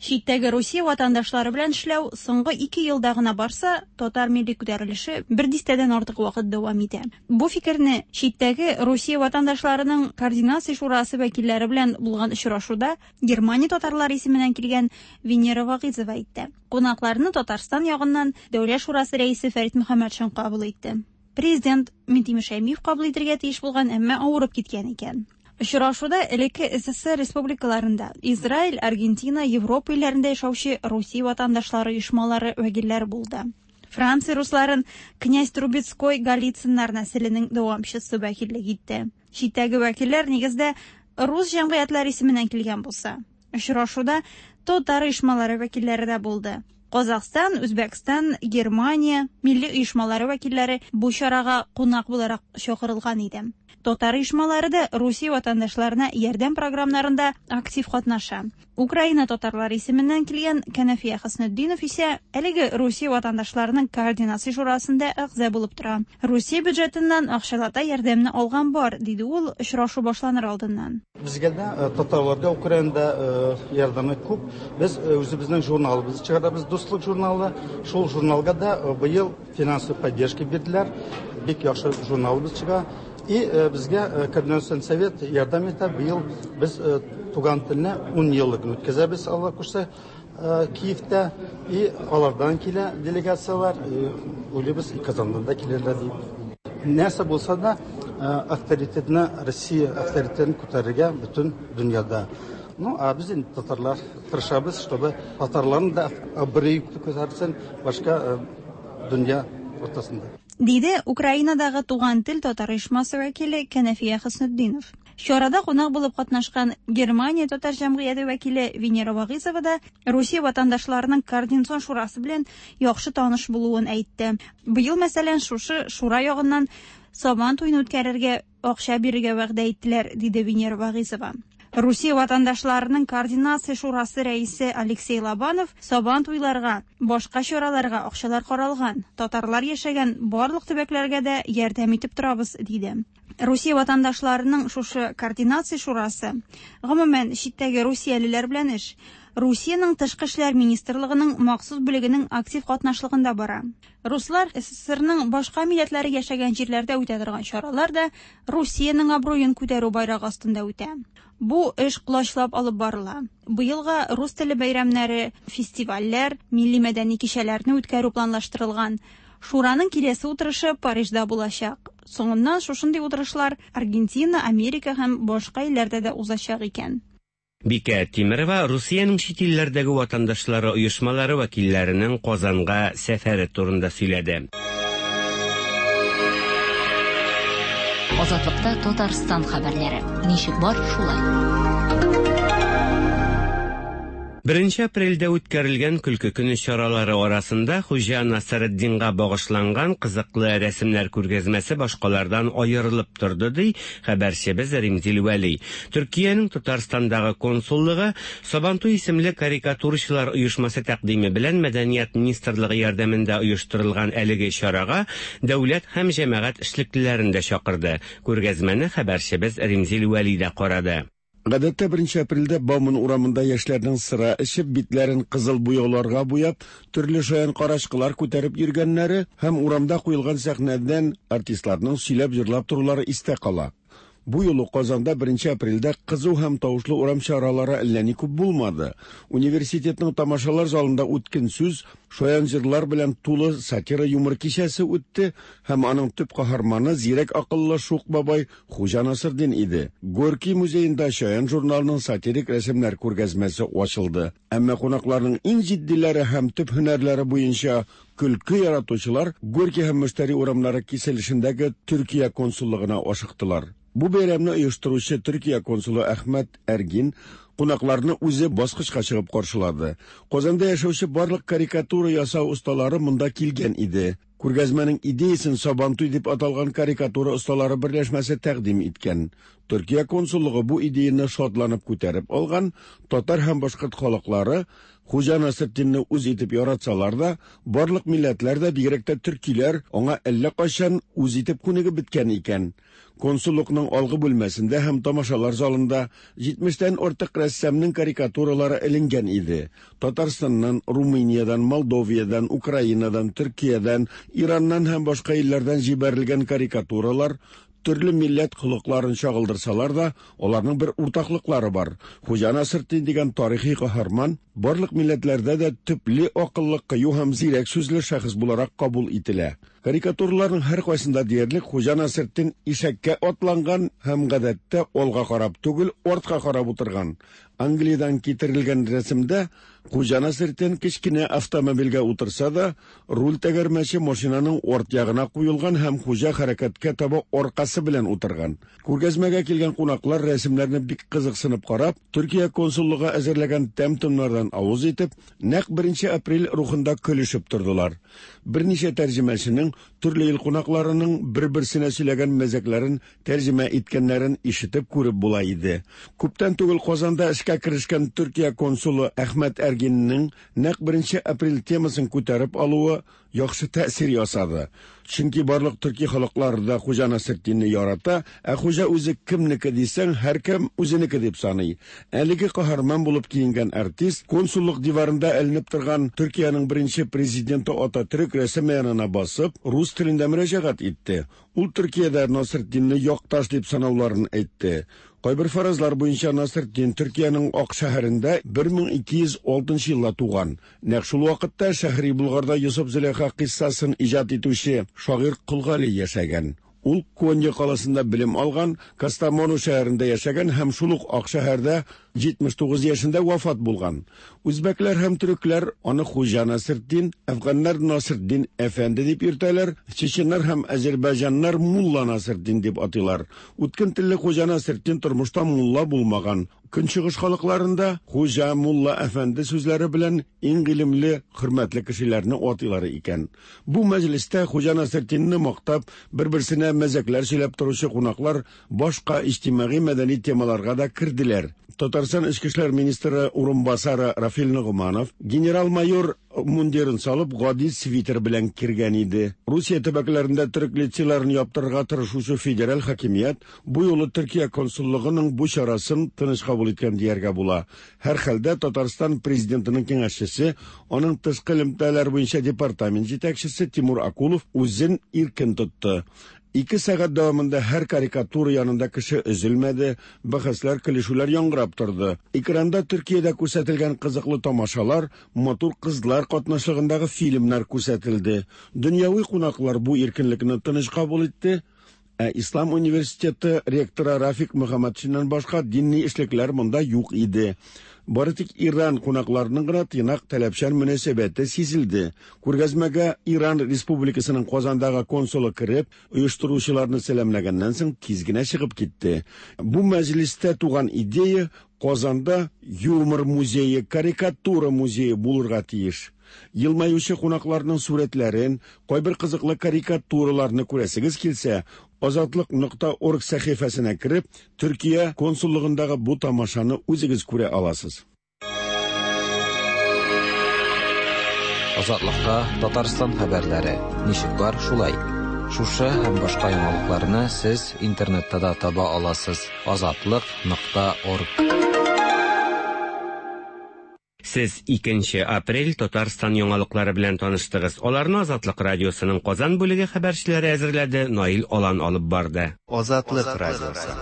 Читтәге Русия ватандашлары белән эшләү соңгы ике елда гына барса, татар милли күтәрелеше бер дистәдән артык вакыт дәвам итә. Бу фикерне читтәге Русия ватандашларының координация шурасы вәкилләре белән булган очрашуда Германия татарлары исеменнән килгән Венера Вагыйзова әйтте. Кунакларны Татарстан ягыннан Дәүләт шурасы рәисе Фәрит Мөхәммәтшин кабул итте. Президент Минтимер Шәймиев кабул итергә тиеш булган, әмма авырып киткән икән. Очрашуда элекке СССР республикаларында, Израиль, Аргентина, Европа илләрендә яшәүче Русия ватандашлары оешмалары вәкилләре булды. Франция русларын князь Трубецкой Голицыннар нәселенең дәвамчысы вәкиллек итте. Читтәге вәкилләр нигездә рус җәмгыятьләре исеменнән килгән булса, очрашуда татар оешмалары вәкилләре дә булды. Казахстан, Үзбәкстан, Германия милли оешмалары вәкилләре бу чарага кунак буларак чакырылган иде. Татар оешмалары да Русия ватандашларына ярдәм програмнарында актив катнаша. Украина татарлары исеменнән килгән Кәнәфия Хөснетдинов исә әлеге Русия ватандашларының координация шурасында әгъза булып тора. Русия бюджетыннан акчалата ярдәмне алган бар, диде ул очрашу башланыр алдыннан. Безгә дә, татарларга Украинада ярдәме күп. Без үзебезнең журналыбызны чыгарабыз, Дуслык журналы. Шул журналга да быел финансовый поддержка бирделәр. Бик яхшы журналыбыз чыга. И безгә Координацион совет ярдәм итә. Быел без туган телне 10 еллыгын үткәзәбез, Алла кушса, Киевта. И алардан килә делегацияләр. Уйлыйбыз, Казаннан да килерләр дип. Нәрсә булса да, авторитетны, Россия авторитетын күтәрергә бөтен дөньяда. Ну, а без инде татарлар тырышабыз, чтобы татарларның да абруе күтәрелсен башка дөнья уртасында. Диде Украинадагы Туган тел татар оешмасы вәкиле Кәнәфия Хөснетдинов. Чарада кунак булып катнашкан Германия татар җәмгыяте вәкиле Венера Вагыйзова да Русия ватандашларының координацион шурасы белән яхшы таныш булуын әйтте. Быел, мәсәлән, шушы шура ягыннан Сабан туен үткәрергә акча бирергә вәгъдә иттеләр, диде Венера Вагыйзова. Русия ватандашларының координация шурасы рәисе Алексей Лобанов Сабан туйларга, башка чараларга акчалар каралган, татарлар яшәгән барлык төбәкләргә дә ярдәм итеп торабыз, диде. Русия ватандашларының шушы координация шурасы, гомумән, читтәге русиялеләр белән эш, Русиянең Тышкы эшләр министрлыгының махсус бүлегенең актив катнашлыгында бара. Руслар СССРның башка милләтләре яшәгән җирләрдә үтә торган чаралар да Русиянең абруен күтәрү байрагы астында үтә. Бу эш колачлап алып барыла. Быелга рус теле бәйрәмнәре, фестивальләр, милли-мәдәни кичәләрне үткәрү планлаштырылган. Шураның киләсе утырышы Парижда булачак. Соңыннан шушындый утырышлар Аргентина, Америка һәм башка илләрдә дә узачак икән. Бикә Тимерова Русиянең чит илләрдәге ватандашлары оешмалары вәкилләренең Казанга сәфәре турында сөйләде. Азатлыкта Татарстан хәбәрләре. Ничек бар, шулай. Беренче апрельдә үткәрелгән Көлке көне чаралары арасында Хуҗа Насретдинга багышланган кызыклы рәсемнәр күргәзмәсе башкалардан аерылып торды, ди хәбәрчебез Римзил Вәли. Төркиянең Татарстандагы консуллыгы Сабантуй исемле карикатурачылар оешмасы тәкъдиме белән Мәдәният министрлыгы ярдәмендә оештырылган әлеге чарага дәүләт һәм җәмәгать эшлеклеләрен дә чакырды. Күргәзмәне хәбәрчебез Римзил Вәли дә карады. Гадәттә беренче апрельдә Бауман урамында яшьләрнең сыра эчеп, битләрен кызыл буяуларга буяп, төрле шаян карачкылар күтәреп йөргәннәре һәм урамда куелган сәхнәдән артистларның сөйләп-җырлап торулары истә кала. Бу юлы Казанда 1 апрельдә кызу һәм тавышлы урам чаралары әллә ни күп булмады. Университетның тамашалар залында үткен сүз, шаян җырлар белән тулы сатира-юмор кичәсе үтте һәм аның төп каһарманы зирәк акыллы шук бабай Хуҗа Насырдин иде. Горький музеенда Чаян журналының сатирик рәсемнәр күргәзмәсе ачылды. Әмма кунакларның иң җитдиләре һәм төп һөнәрләре буенча көлке яратучылар Горький һәм Мөштәри урамнары киселешендәге Төркия консуллыгына ашыктылар. Бу бәйрәмне оештыручы Төркия консулы Әхмәт Әргин кунакларны үзе баскычка чыгып каршылады. Казанда яшәүче барлык карикатура ясау осталары монда килгән иде. Күргәзмәнең идеясен Сабантуй дип аталган карикатура осталары берләшмәсе тәкъдим иткән. Төркия консуллыгы бу идеяне шатланып күтәреп алган, татар һәм башкорт халыклары Хуҗа Насретдинне үз итеп яратсалар да, барлык милләтләр дә, бигрәк тә төркиләр, аңа әллә кайчан үз итеп күнегеп беткән икән. Консуллыкның алгы бүлмәсендә һәм тамашалар залында җитмештән артык рәссамның карикатуралары эленгән иде. Татарстаннан, Румыниядән, Молдовиядән, Украинадан, Төркиядән, Ираннан һәм башка илләрдән җибәрелгән карикатуралар төрле милләт холыкларын чагылдырсалар да, аларның бер уртаклыклары бар. Хуҗа Насретдин дигән тарихи каһарман барлык милләтләрдә дә төпле акыллы, кыю һәм зирәк сүзле шәхес буларак кабул ителә. Карикатураларның һәркайсында диярлек Хуҗа Насретдин ишәккә атланган һәм гадәттә алга карап түгел, артка карап утырган. Англиядән китерелгән рәсемдә Хуҗа Насретдин кечкенә автомобильгә утырса да, руль тәгәрмәче машинаның арт ягына куелган һәм хуҗа хәрәкәткә таба аркасы белән утырган. Күргәзмәгә килгән кунаклар рәсемнәрне бик кызыксынып карап, Төркия консуллыгы әзерләгән тәм-томнардан авыз итеп, нәкъ беренче апрель рухында көлешеп тордылар. Берничә тәрҗемәченең төрле ил кунакларының бер-берсенә сөйләгән мәзәкләрен тәрҗемә иткәннәрен ишетеп күреп була иде. Күптән түгел Казанда эшкә керешкән Төркия консулы Әхмәт Әргиннең нәкъ беренче апрель темасын күтәреп алуы яхшы тәэсир ясады. Чөнки барлык төрки халыклары да Хуҗа Насретдинне ярата, ә хуҗа үзе кемнеке дисәң, һәркем үзенеке дип саный. Әлеге каһарман булып киенгән артист консуллык диварында эленеп торган Төркиянең беренче президенты Ататөрек рәсеме янына басып, рус телендә мөрәҗәгать итте. Ул Төркиядә Насретдинне якташ дип санауларын әйтте. Кайбер фаразлар буенча Насретдин Төркиянең Ак шәһәрендә 1206 елда туган. Нәкъ шул вакытта Шәһри Болгарда Йосыф-Зөләйха кыйссасын иҗат итүче шагыйрь Кол Гали яшәгән. Ул Конья каласында белем алган, Кастамону шәһәрендә яшәгән һәм шул ук Ак шәһәрдә 79 яшендә вафат булган. Үзбәкләр һәм төрекләр аны Хуҗа Насретдин, әфганнар Насретдин әфәнде дип йөртәләр, чеченнар һәм әзербайҗаннар Мулла Насретдин дип атыйлар. Үткен телле Хуҗа Насретдин тормышта мулла булмаган. Көнчыгыш халыкларында хуҗа, мулла, әфәнде сүзләре белән иң гыйлемле, хөрмәтле кешеләрне атыйлар икән. Бу мәҗлестә Хуҗа Насретдинне мактап, бер-берсенә мәзәкләр сөйләп торучы кунаклар башка иҗтимагый-мәдәни темаларга да керделәр. Татарстан Эчке эшләр министры урынбасары Рафил Ногманов генерал-майор мундирын салып, гади свитер белән кергән иде. Русия төбәкләрендә төрек лицейларын яптырырга тырышучы федераль хакимият бу юлы Төркия консуллыгының бу чарасын тыныч кабул иткән дияргә була. Һәрхәлдә Татарстан президентының киңәшчесе, аның тышкы элемтәләр буенча департамент җитәкчесе Тимур Акулов үзен иркен тотты. Ике сәгать дәвамында һәр карикатура янында кеше өзелмәде, бәхәсләр, көлешүләр яңгырап торды. Экранда Төркиядә күрсәтелгән кызыклы тамашалар, матур кызлар катнашлыгындагы фильмнар күрсәтелде. Дөньяви кунаклар бу иркенлекне тыныч кабул итте. Ә Ислам университеты ректоры Рафик Мөхәммәтшиннан башка динни эшлекләр монда юк иде. Бары тик Иран кунакларының гына тыйнак таләпчән мөнәсәбәте сизелде. Күргәзмәгә Иран Республикасының Казандагы консулы кереп, оештыручыларны сәламләгәннән соң тиз генә чыгып китте. Бу мәҗлестә туган идея Казанда юмор музее, карикатура музее булырга тиеш. Елмаючы кунакларның сурәтләрен, кайбер кызыклы карикатураларны күрәсегез килсә, Азатлык нокта орг сәхифәсенә кереп, Төркия консуллыгындагы бу тамашаны үзегез күрә аласыз. Азатлыкта Татарстан хәбәрләре ничек бар, шулай. Шушы һәм башка яңалыкларны сез интернетта да таба аласыз. Азатлык нокта орг. Сез 2 апрель Татарстан яңалыклары белән таныштыгыз. Аларны Азатлык радиосының Казан бүлеге хәбәрчеләре әзерләде, Наил Алан алып барды. Азатлык радиосы.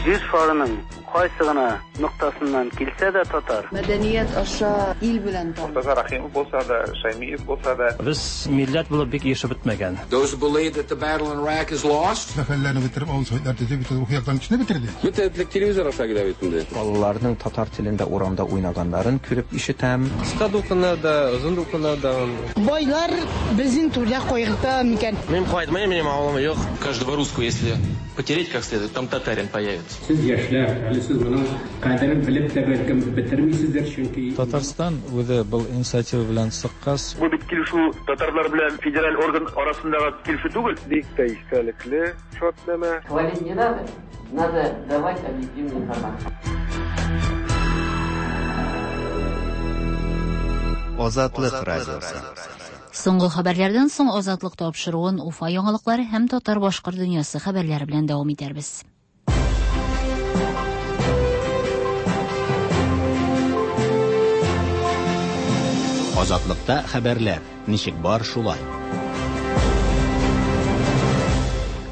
Җир шарының кайсы гына ноктасыннан килсә дә татар. Мәдәният аша ил белән таныш. Мортаза Рәхимов булса да, Шәймиев булса да. Без милләт булып бик ирешеп бетмәгән. Those who believe that the battle in Iraq is lost. Мәхәлләне бетереп, авыл советлар төзеп, бөтен рухи яктан кешене бетерде. Бөтен телевизор аша килә бит инде. Балаларның татар телендә урамда уйнаганнарын күреп ишетәм. Кыска дулкыннар да, озын дулкыннар да. Байлар безнең түрдә кайгырта микән? Мин кайтмыйм, минем авылым юк. Каждого русского, если потереть как следует, там татарин появится. Сез яшьләр, әле сез моның кадерен белеп тә бәлкем бетермисездер, чөнки Татарстан үзе был инициатива белән чыккач, Бу бит килешү татарлар белән федераль орган арасындагы килешү түгел. Бик тә истәлекле шартнамә. Хвалить не надо, надо давать объективную информацию. Азатлык радиосы. Соңгы хәбәрләрдән соң Азатлык тапшыруын Уфа яңалыклары һәм татар-башкорт дөньясы хәбәрләре белән дәвам итәрбез. Азатлыкта хәбәрләр ничек бар шулай.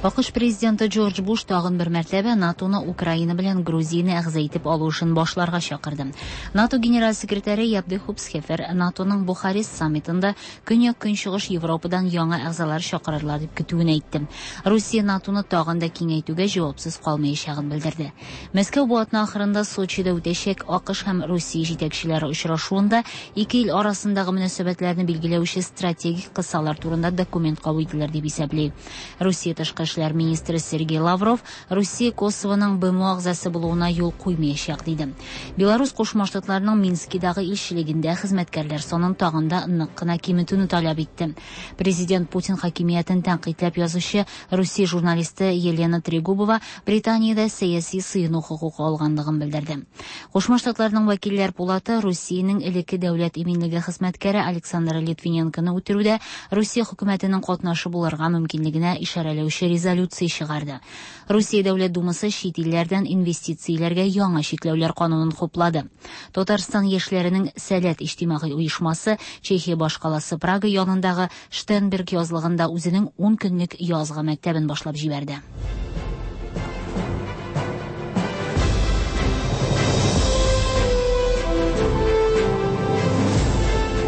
АКШ президенты Джордж Буш тагын бер мәртәбә НАТОны Украина белән Грузияне әгъза итеп алу эшен башларга чакырды. НАТО генераль секретаре Яп де Хупсхефер НАТОның Бухарест саммитында Көньяк-Көнчыгыш Европадан яңа әгъзалар чакырырлар дип көтүен әйтте. Русия НАТОны тагын да киңәйтүгә җавапсыз калмаячагын белдерде. Мәскәү бу атна ахырында Сочида үтәчәк АКШ һәм Русия җитәкчеләре очрашуында ике ил арасындагы мөнәсәбәтләрне билгеләүче стратегик кысалар турында документ кабул ителер дип исәпли. Русия тышкы эшләр министры Сергей Лавров Русия Косовоның БМО әгъзасы булуына юл куймаячак диде. Беларусь Кушма Штатларының Минскидагы илчелегендә хезмәткәрләр санын тагын да нык кына киметүне таләп итте. Президент Путин хакимиятен тәнкыйтьләп язучы Русия журналисты Елена Трегубова Британиядә сәяси сыену хокукы алганлыгын белдерде. Кушма Штатларның вәкилләр пулаты Русиянең элекке дәүләт иминлеге хезмәткәре Александр Литвиненконы үтерүдә Русия хөкүмәтенең катнашы булырга мөмкинлегенә ишарәләүче резолюция чыгарды. Русия Дәүләт Думасы чит илләрдән инвестицияләргә яңа чикләүләр канунын хуплады. Татарстан яшьләренең Сәләт иҗтимагый оешмасы Чехия башкаласы Прага янындагы Штенберг язлыгында үзенең 10 көнлек язгы мәктәбен башлап җибәрде.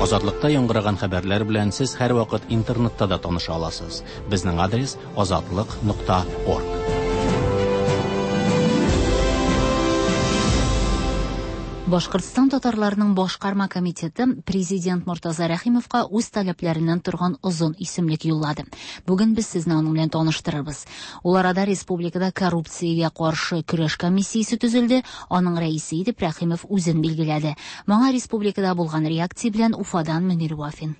Азатлыкта яңгыраган хәбәрләр белән сез һәрвакыт интернетта да таныша аласыз. Безнең адрес azatliq.org. Башкортстан татарларының башкарма комитеты президент Мортаза Рәхимовка үз таләпләреннән торган озын исемлек юллады. Бүген без сезне аның белән таныштырырбыз. Ул арада республикада коррупциягә каршы көрәш комиссиясе төзелде, аның рәисе итеп Рәхимов үзен билгеләде. Моңа республикада булган реакция белән Уфадан Мөнир Вафин.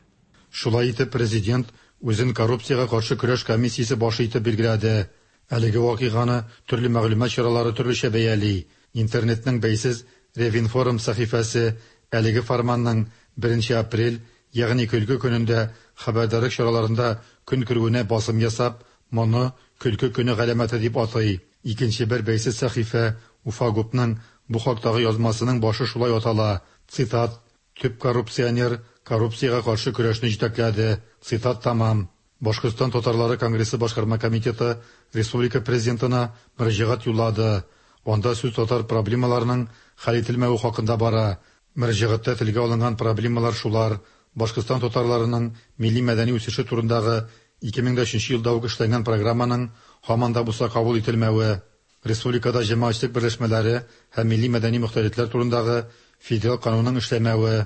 Шулай итеп президент үзен коррупциягә каршы көрәш комиссиясе башы итеп билгеләде. Әлеге вакыйганы төрле мәгълүмат чаралары төрлечә бәяли. Интернетның бәйсез Ревинформ сәхифәсе әлеге фарманның 1 апрель, ягъни көлке көнендә хәбәрдарлык чараларында көн күрүенә басым ясап, моны көлке көне галәмәте дип атый. Икенче бер бәйсез сәхифә Уфагупның бу хактагы язмасының башы шулай атала. Цитат: "Төп коррупционер коррупциягә каршы көрәшне җитәкләде." Цитат тамам. Башкортстан татарлары конгрессы башкарма комитеты республика президентына мөрәҗәгать юллады. Анда сүз татар проблемаларының хәл ителмәве хакында бара. Мөрәҗәгатьтә телгә алынган проблемалар шулар: Башкортстан татарларының милли мәдәни үсеше турындагы 2003 елда ук эшләнгән программаның һаман да булса кабул ителмәве, республикада җәмәгатьчелек берләшмәләре һәм милли мәдәни мохтаритлар турындагы федераль канунның эшләмәве,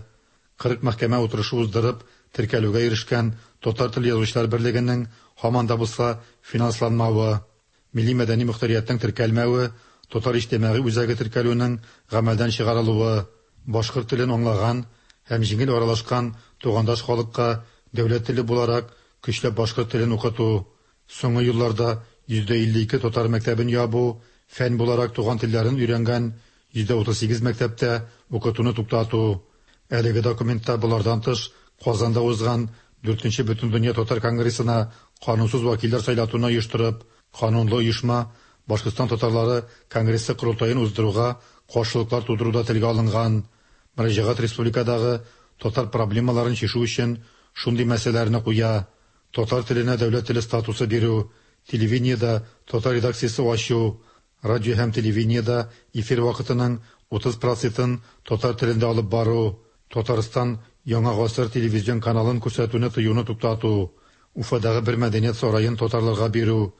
40 мәхкәмә утырышы уздырып, теркәлүгә ирешкән Татар теле язучылар берлегенең һаман да булса финансланмавы, милли мәдәни мохтариятның теркәлмәве, татар иҗтимагый үзәге теркәлүнең гамәлдән чыгарылуы, башкорт телен аңлаган һәм җиңел аралашкан тугандаш халыкка дәүләт теле буларак көчләп башкорт телен укыту, соңгы елларда 52% татар мәктәбен ябу, фән буларак туган телләрен өйрәнгән 38% мәктәптә укытуны туктату. Әлеге документта болардан тыш Казанда узган 4нче Бөтендөнья татар конгрессына канунсыз вәкилләр сайлатуны оештырып, канунлы оешма Башкортстан татарлары конгрессы корылтаен уздыруга каршылыклар тудыру да телгә алынган. Мөрәҗәгать республикадагы татар проблемаларын чишү өчен шундый мәсьәләләрне куя: татар теленә дәүләт теле статусы бирү, телевидениедә татар редакциясе ачу, радио һәм телевидениедә эфир вакытының 30 процентын татар телендә алып бару, Татарстан Яңа гасыр телевизион каналын күрсәтүне тыюны туктату, Уфадагы бер мәдәният сараен татарларга бирү,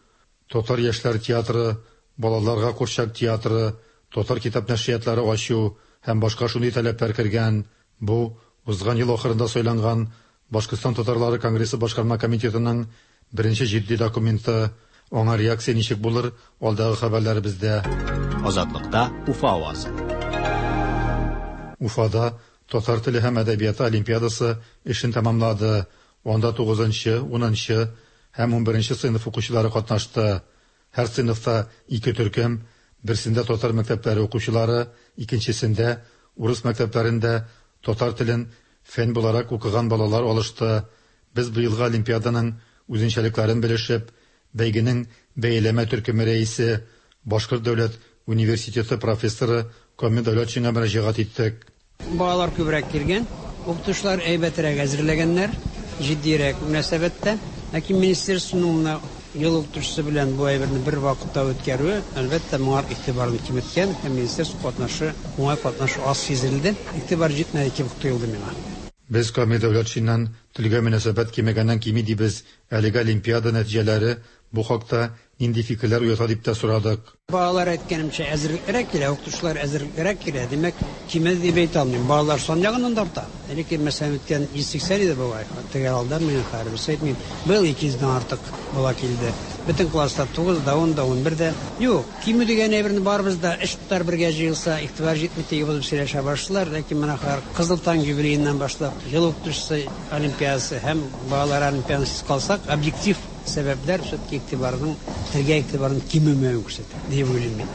татар яшьләр театры, балаларга курчак театры, татар китап нәшриятлары ачу һәм башка шундый таләпләр кергән. Бу узган ел ахырында сайланган Башкортстан татарлары конгрессы башкарма комитетының беренче җитди документы. Аңа реакция ничек булыр, алдагы хәбәрләребездә. Азатлыкта Уфа авазы. Уфада татар теле һәм әдәбияты олимпиадасы эшен тәмамлады. Анда 9нчы, 10нчы һәм 11нче сыйныф укучылары катнашты. Һәр сыйныфта ике төркем, берсендә татар мәктәпләре укучылары, икенчесендә урыс мәктәпләрендә татар телен фән буларак укыган балалар алышты. Без быелгы олимпиаданың үзенчәлекләрен белешеп, бәйгенең бәяләмә төркеме рәисе, Башкорт дәүләт университеты профессоры Камил Дәүләтшинга мөрәҗәгать иттек. Балалар күбрәк килгән, укытучылар әйбәтрәк әзерләгәннәр, җитдирәк мөнәсәбәттә. Ләкин министерствоның менә ел укытучысы белән бу әйберне бер вакытта үткәрүе, әлбәттә, моңар игътибарны киметкән һәм министерство катнашы, уңай катнашы аз сизелде. Игътибар җитмәде кебек тоелды миңа. Без Камил Дәүләтшиннан телгә мөнәсәбәт кимегәннән кими дибез, әлеге олимпиада нәтиҗәләре бу хакта нинди фикерләр уята дип тә сорадык. Балалар әйткәнемчә әзерлеклерәк килә, укытучылар әзерлеклерәк килә. Димәк, кимеде дип әйтә алмыйм. Балалар сан ягыннан да арта. Элекке, мәсәлән, үткән 180 иде бугай. Төгәл алданмыйм, хәзер берсе әйтмим. Быел 200 дән артык бала килде. Бөтен класста 9 да, 10 да, 11 дә. Юк, кимү дигән әйберне барыбыз да өч татар бергә җыелса, игътибар җитми дип булып сөйләшә башлыйлар. Ләкин менә хәзер Кызыл таң юбилееннан башлап, ел укытучысы олимпиадасы һәм балалар олимпиадасыз калсак, объектив сәбәпләр все-таки игътибарның, телгә игътибарның кимемәвен күрсәтә, дип уйлыйм мин.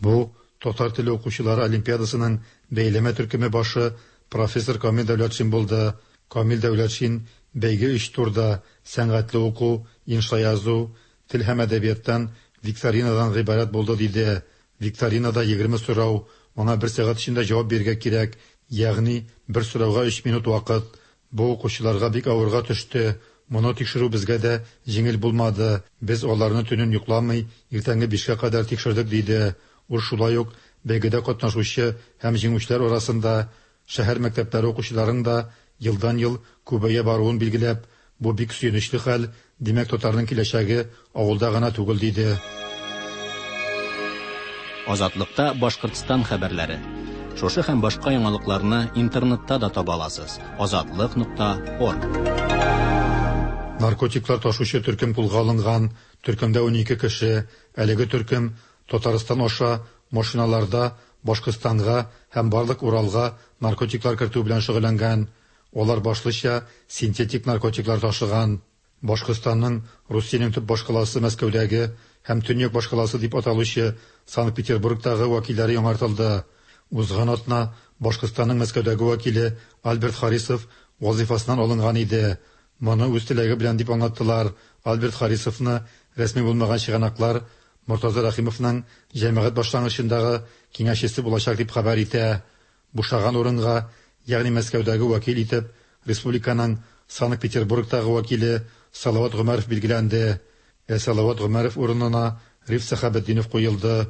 Бу татар теле укучылары олимпиадасының бәяләмә төркеме башы профессор Камил Дәүләтшин булды. Камил Дәүләтшин бәйге өч турда сәнгатьле уку, инша язу, тел һәм әдәбияттан викторинадан гыйбарәт булды диде. Викторинада 20 сорау, аңа бер сәгать эчендә җавап бирергә кирәк, ягъни бер сорауга 3 минут вакыт. Бу укучыларга бик авырга төште. Моны тикшерү безгә дә җиңел булмады. Без аларны төнен йокламый, иртәнге 5кә кадәр тикшердек, диде. Ул шулай ук бәйгедә катнашучы һәм җиңүчеләр арасында шәһәр мәктәпләре укучыларының да елдан-ел күбәя баруын билгеләп, бу бик сөенечле хәл, димәк, татарның киләчәге авылда гына түгел, диде. Азатлыкта Башкортстан хәбәрләре. Шушы һәм башка яңалыкларны интернетта да таба аласыз. Азатлык.орг. Наркотиклар ташучы төркем кулга алынган. Төркемдә 12 кеше. Әлеге төркем Татарстан аша машиналарда Башкортстанга һәм барлык Уралга наркотиклар кертү белән шөгыльләнгән. Алар башлыча синтетик наркотиклар ташыган. Башкортстанның Русиянең төп башкаласы Мәскәүдәге һәм төньяк башкаласы дип аталучы Санкт-Петербургтагы вәкилләре яңартылды. Узган атна Башкортстанның Мәскәүдәге вәкиле Альберт Харисов вазифасыннан алынган иде. Моны үз теләге белән дип аңлаттылар. Альберт Харисовны рәсми булмаган чыганаклар Мортаза Рәхимовның җәмәгать башлангычындагы киңәшчесе булачак дип хәбәр итә. Бушаган урынга, ягъни Мәскәүдәге вәкил итеп, республиканың Санкт-Петербургтагы вәкиле Салават Гомәров билгеләнде. Ә Салават Гомәров урынына Риф Сәхәбетдинов куелды.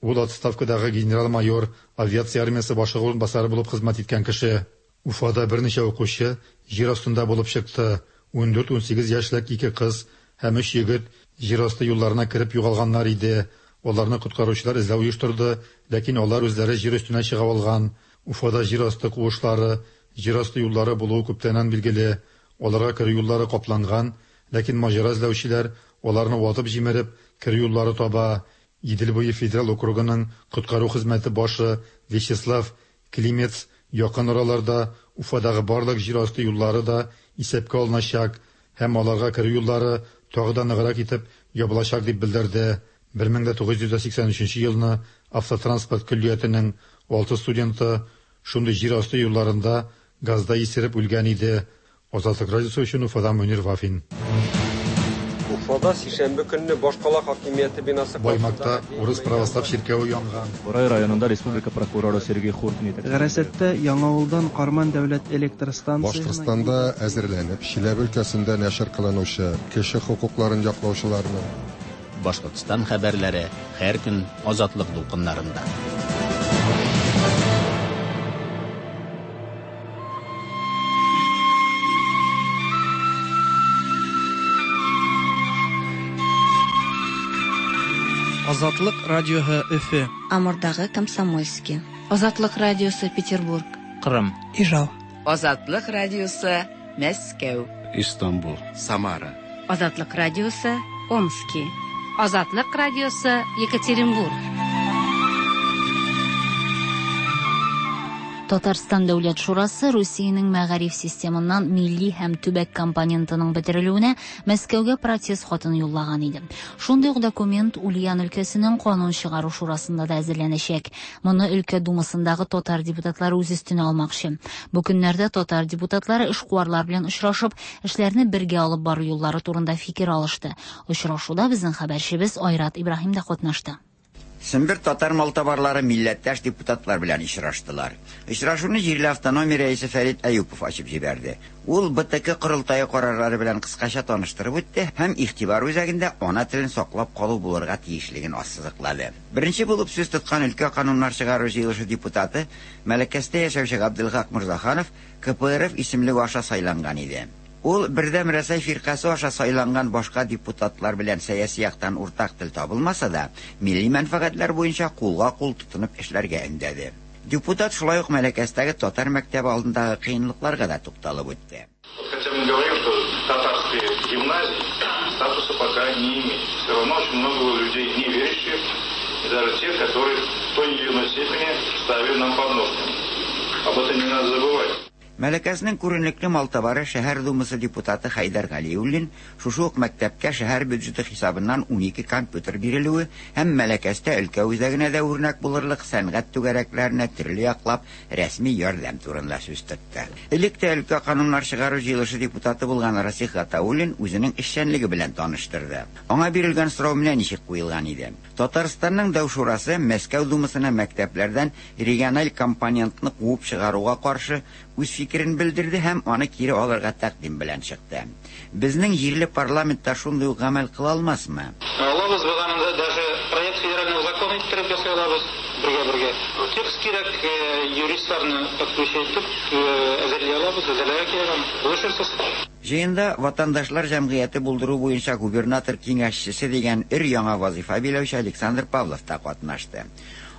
Ул отставкадагы генерал-майор, авиация армиясе башлыгы урынбасары булып хезмәт иткән кеше. Уфада берничә укучы җир астында булып чыкты. 14-18 яшьлек ике кыз һәм өч егет җир асты юлларына кереп югалганнар иде. Аларны коткаручылар эзләү оештырды, ләкин алар үзләре җир өстенә чыга алган. Уфада җир асты куышлары, җир асты юллары булуы күптәннән билгеле. Аларга керү юллары капланган, ләкин маҗара эзләүчеләр аларны ватып җимереп, керү юллары таба. Идел буе федераль округының коткару хезмәте башы Вячеслав Климец якын араларда Уфадагы барлык җир асты юллары да исәпкә алыначак һәм аларга керү юллары тагы да ныграк итеп ябылачак дип белдерде. 1983 елны автотранспорт көллиятенең 6 студенты шундый җир асты юлларында газда исереп үлгән иде. Азатлык радиосы өчен Уфадан Мөнир Вафин. Уфада сишәмбе көнне башкала хакимияте бинасы Баймакта урыс православ чиркәве янган. Борай районында республика прокуроры Сергей Хуртин итәкчелегендәге. Гарәсәттә Яңавылдан Карман дәүләт электр станциясенә Башкортстанда әзерләнеп, Чиләбе өлкәсендә нәшер кылынучы кеше хокукларын яклаучыларның, Башкортстан хәбәрләре һәр көн Азатлык дулкыннарында. Азатлык радиоһы Өфе. Амурдагы Комсомольский. Азатлык радиосы Петербург. Кырым. Ижау. Азатлык радиосы Мәскәү. Истанбул. Самара. Азатлык радиосы Омски. Азатлык радиосы Екатеринбург. Татарстан Дәүләт шурасы Русиянең мәгариф системыннан милли һәм төбәк компонентының бетерелүенә Мәскәүгә протест хатын юллаган иде. Шундый ук документ Ульян өлкәсенең канун чыгару шурасында да әзерләнәчәк. Моны өлкә думасындагы татар депутатлары үз өстенә алмакчы. Бу көннәрдә татар депутатлары эшкуарлар белән очрашып, эшләрне бергә алып бару юллары турында фикер алышты. Очрашуда безнең хәбәрчебез Айрат Ибраһим да катнашты. Сембер татар малтабарлары милләттәш депутатлар белән очраштылар. Очрашуны җирле автономия рәисе Фәрит Әюпов ачып җибәрде. Ул БТК корылтае карарлары белән кыскача таныштырып үтте һәм игътибар үзәгендә ана телен саклап калу булырга тиешлеген ассызыклады. Беренче булып сүз тоткан өлкә кануннар чыгару җыелышы депутаты Мәләкәстә яшәүче Габделхак Морзаханов КПРФ исемлеге аша сайланган иде. Ул Бердәм Рәсәй фиркасе аша сайланган башка депутатлар белән сәяси яктан уртак тел табылмаса да, милли мәнфәгатьләр буенча кулга-кул тотынып эшләргә өндәде. Депутат шулай ук Мәләкәстәге татар мәктәбе алдындагы кыенлыкларга да тукталып үтте. Хотя мы говорим, что татарские гимназии статуса пока не имеют. Все равно очень много людей не верящих, и даже тех, которые в той или иной степени ставили нам подножку. Об этом не надо забывать. Мәләкәснең күренекле малтабары шәһәр думасы депутаты Хәйдәр Галиуллин шушы ук мәктәпкә шәһәр бюджеты хисабыннан 12 компьютер бирелүе һәм Мәләкәстә өлкә үзәгенә дә үрнәк булырлык сәнгать түгәрәкләренә төрле яклап рәсми ярдәм турында сүз тотты. Элек тә өлкә кануннар чыгару җыелышы депутаты булган Расих Гатауллин үзенең эшчәнлеге белән таныштырды. Аңа бирелгән сорау менә ничек куелган иде. Татарстанның Дәү шурасы Мәскәү думасына мәктәпләрдән региональ компонентны куып чыгаруга каршы үз фикерен белдерде һәм аны кире алырга тәкъдим белән чыкты. Безнең җирле парламентта шундый ук гамәл кыла алмасмы? Алабыз, без аны даже проект федерального закона иттереп ясый алабыз бергә-бергә. Текст кирәк, юристларны подключать итеп әзерли алабыз, әзерләргә кирәк аны. Булышырсыз. Җыенда ватандашлар җәмгыяте булдыру буенча губернатор киңәшчесе дигән өр-яңа вазифа биләүче Александр Павлов та катнашты.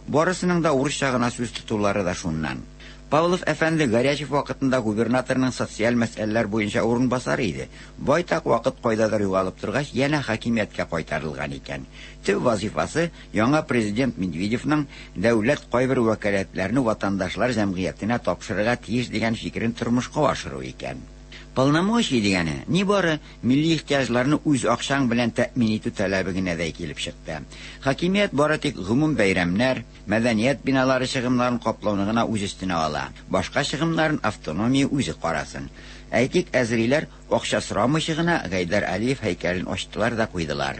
Барысының да урысча гына сүз тотулары да шуннан. Павлов әфәнде Горячев вакытында губернаторның социаль мәсьәләләр буенча урынбасары иде. Байтак вакыт кайдадыр югалып торгач, янә хакимияткә кайтарылган икән. Төп вазифасы яңа президент Медведевның дәүләт кайбер вәкаләтләрне ватандашлар җәмгыятенә тапшырырга тиеш дигән фикерен тормышка ашыру икән. Полномочий дигәне нибары милли ихтыяҗларны үз акчаң белән тәэмин итү таләбе генә дә килеп чыкты. Хакимият бары тик гомум бәйрәмнәр, мәдәният биналары чыгымнарын каплауны гына үз өстенә ала. Башка чыгымнарын автономия үзе карасын. Әйтик, әзериләр акча сорамыйча гына Гайдар Алиев һәйкәлен ачтылар да куйдылар.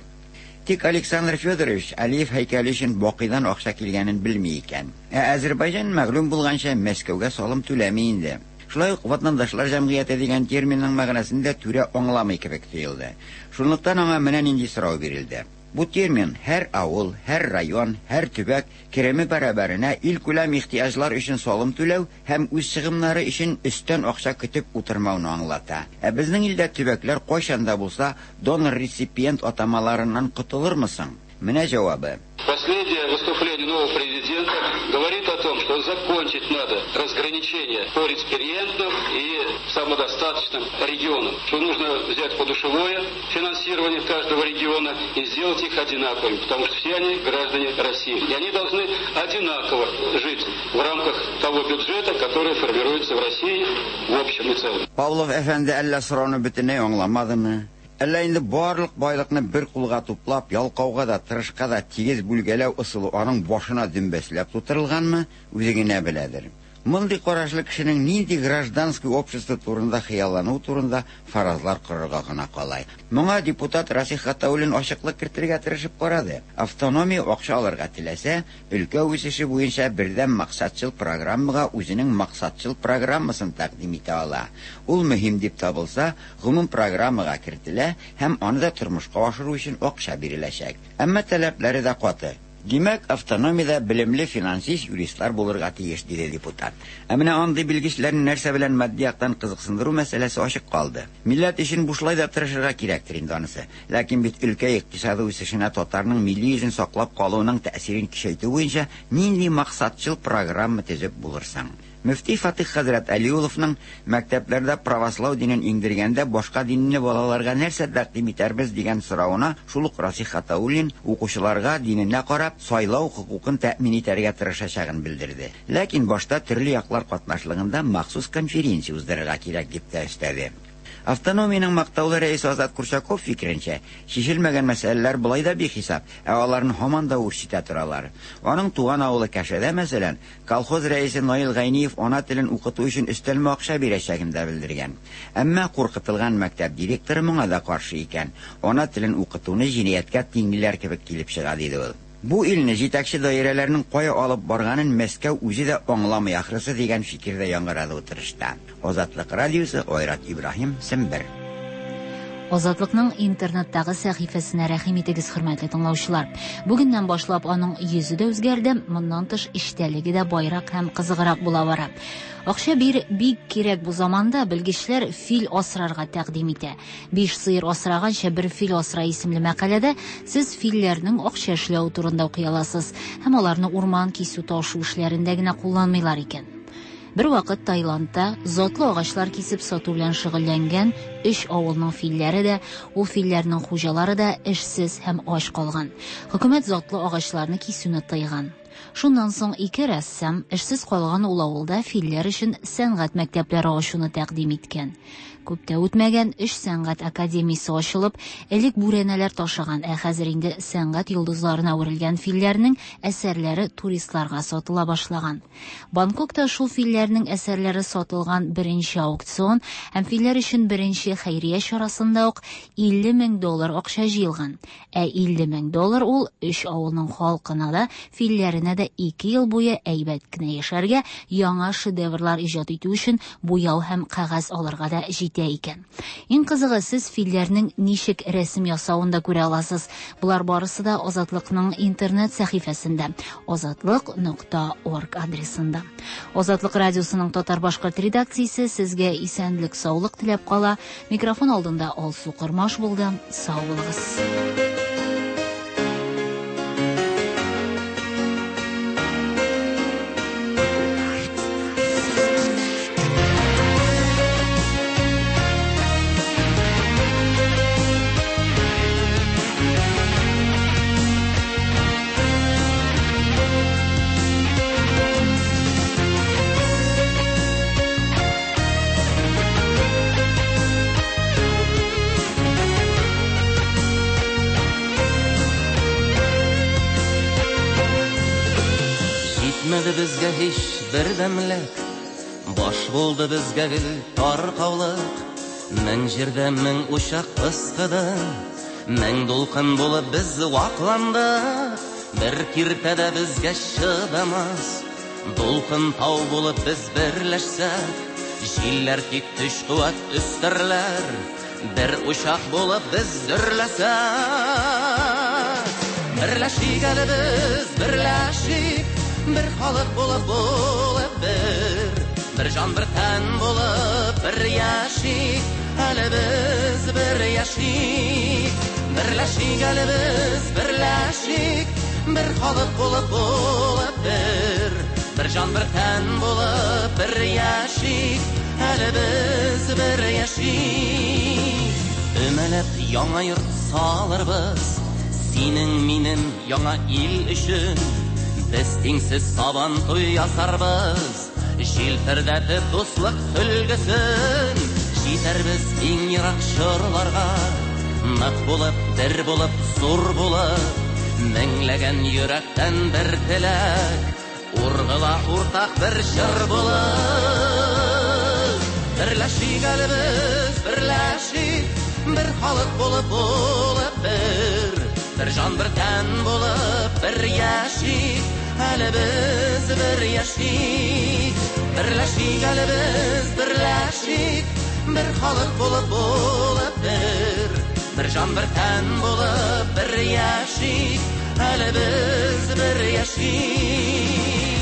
Тик Александр Федорович Алиев һәйкәле өчен Бакыйдан акча килгәнен белми икән. Ә Азербайҗан мәгълүм булганча Мәскәүгә салым түләми инде. Шулай ук ватандашлар җәмгыяте дигән терминның мәгънәсен дә түрә аңламый кебек тоелды. Шунлыктан аңа менә нинди сорау бирелде. Бу термин һәр авыл, һәр район, һәр төбәк кереме бәрабәренә илкүләм ихтыяҗлар өчен салым түләү һәм үз чыгымнары өчен өстән акча көтеп утырмауны аңлата. Ә безнең илдә төбәкләр кайчан да булса донор-реципиент атамаларыннан котылырмы соң? Менә җавабы. Последнее выступление нового президента говорит о том, что закончить надо разграничение по реципиентам и самодостаточным регионам. Что нужно взять подушевое финансирование каждого региона и сделать их одинаковыми, потому что все они граждане России. И они должны одинаково жить в рамках того бюджета, который формируется в России в общем и целом. Павлов әфәнде әллә сорауны бөтенләй аңламадымы? Әллә инде барлык байлыкны бер кулга туплап, ялкауга да, тырышка да тигез бүлгәләү ысулы аның башына дөмбәсләп тутырылганмы, үзе генә беләдер. Мондый карашлы кешенең нинди гражданский общество турында хыяллануы турында фаразлар корырга гына кала. Моңа депутат Расих Гатауллин ачыклык кертергә тырышып карады. Автономия акча алырга теләсә, өлкә үсеше буенча бердәм максатчыл программага үзенең максатчыл программасын тәкъдим итә ала. Ул мөһим дип табылса, гомум программага кертелә һәм аны да тормышка ашыру өчен акча биреләчәк. Әмма таләпләре дә каты. Димәк, автономиядә белемле финансист, юристлар булырга тиеш, диде депутат. Ә менә андый белгечләрне нәрсә белән матди яктан кызыксындыру мәсьәләсе ачык калды. Милләт өчен бушлай да тырышырга кирәктер инде анысы. Ләкин бит өлкә икътисады үсешенә татарның милли йөзен саклап калуның тәэсирен көчәйтү буенча нинди максатчыл программа төзеп булыр соң? Мөфти Фатих хәзрәт Әлиулловның мәктәпләрдә правослау динен иңдергәндә башка динне балаларга нәрсә тәкъдим итәрбез дигән соравына шул ук Расих Гатауллин укучыларга диненә карап сайлау хокукын тәэмин итәргә тырышачагын белдерде. Ләкин башта төрле яклар катнашлыгында махсус конференция уздырырга кирәк дип тә өстәде. Автономиянең мактаулы рәисе Азат Курчаков фикеренчә, чишелмәгән мәсьәләләр болай да бихисап, ә аларны һаман да үрчетә торалар. Аның туган авылы Кәшәдә, мәсәлән, колхоз рәисе Наил Гайниев ана телен укыту өчен өстәлмә акча бирәчәген дә белдергән. Әмма куркытылган мәктәп директоры моңа да каршы икән. Ана телен укытуны җинаятькә тиңлиләр кебек килеп чыга, диде ул. Бу илне җитәкче даирәләрнең кая алып барганын Мәскәү үзе дә аңламый ахрысы дигән фикер дә яңгырады утырышта. Азатлык радиосы, Айрат Ибраһим, Сембер. Азатлыкның интернеттагы сәхифәсенә рәхим итегез, хөрмәтле тыңлаучылар. Бүгеннән башлап аның йөзе дә үзгәрде, моннан тыш эчтәлеге дә байрак һәм кызыграк була бара. Акча бир бик кирәк бу заманда, белгечләр фил асрарга тәкъдим итә. Биш сыер асраганча бер фил асра исемле мәкаләдә сез филләрнең акча эшләве турында укый аласыз һәм аларны урман кисү ташу эшләрендә генә кулланмыйлар икән. Бер вакыт Таиландта затлы агачлар кисеп сату белән шөгыльләнгән өч авылның филләре дә, ул филләрнең хуҗалары да эшсез һәм ач калган. Хөкүмәт затлы агачларны кисүне тыйган. Шуннан соң ике рәссам эшсез калган ул авылда филләр өчен сәнгать мәктәпләре ачуны тәкъдим иткән. Күп тә үтмәгән, өч сәнгать академиясе ачылып, элек бүрәнәләр ташыган, ә хәзер инде сәнгать йолдызларына әверелгән филләрнең әсәрләре туристларга сатыла башлаган. Бангкокта шул филләрнең әсәрләре сатылган беренче аукцион һәм филләр өчен беренче хәйрия чарасында ук 50 мең доллар акча җыелган. Ә 50 мең доллар ул өч авылның халкына да, филләренә дә 2 ел буе әйбәт кенә яшәргә, яңа шедеврлар иҗат итү өчен буяу һәм кәгазь алырга да җитә икән. Иң кызыгы, сез филләрнең ничек рәсем ясавын да күрә аласыз. Болар барысы да Азатлыкның интернет сәхифәсендә azatliq.org адресында. Азатлык радиосының татар-башкорт редакциясе сезгә исәнлек, саулык теләп кала. Микрофон алдында Алсу Кормаш булды. Сау булыгыз. Җитмәде безгә һич бердәмлек, баш булды безгә гел таркаулык. Мең җирдә мең учак пыскыды, мең дулкын булып без вакландык. Бер киртә дә безгә чыдамас, дулкын тау булып без берләшсәк, җилләр тик көч куәт өстерләр, бер учак булып без дөрләсәк. Берләшик әле без, берләшик, бер халык булып булып бер, бер җан бер тән булып бер яшик, әле без бер яшик. Берләшик әле без, берләшик, бер халык булып булып бер, бер җан бер тән булып бер яшик, әле без бер яшик. Өмәләп яңа йорт салырбыз, синең минем яңа ил өчен. Без тиңсез сабан туй ясарбыз, җилфердәтеп дуслык сөлгесен. Җитәрбез иң ерак чорларга, нык булып, бер булып, зур булып, меңләгән йөрәктән бер теләк, Ургыла уртак бер җыр булып. Берләшик әле без, берләшик, бер халык булып булып бер. Бер җан, бер тән булып бер яшик, әле без бер яшик. Берләшик әле без, берләшик, бер халык булып булып бер. Бер җан, бер тән булып бер яшик, әле без бер яшик.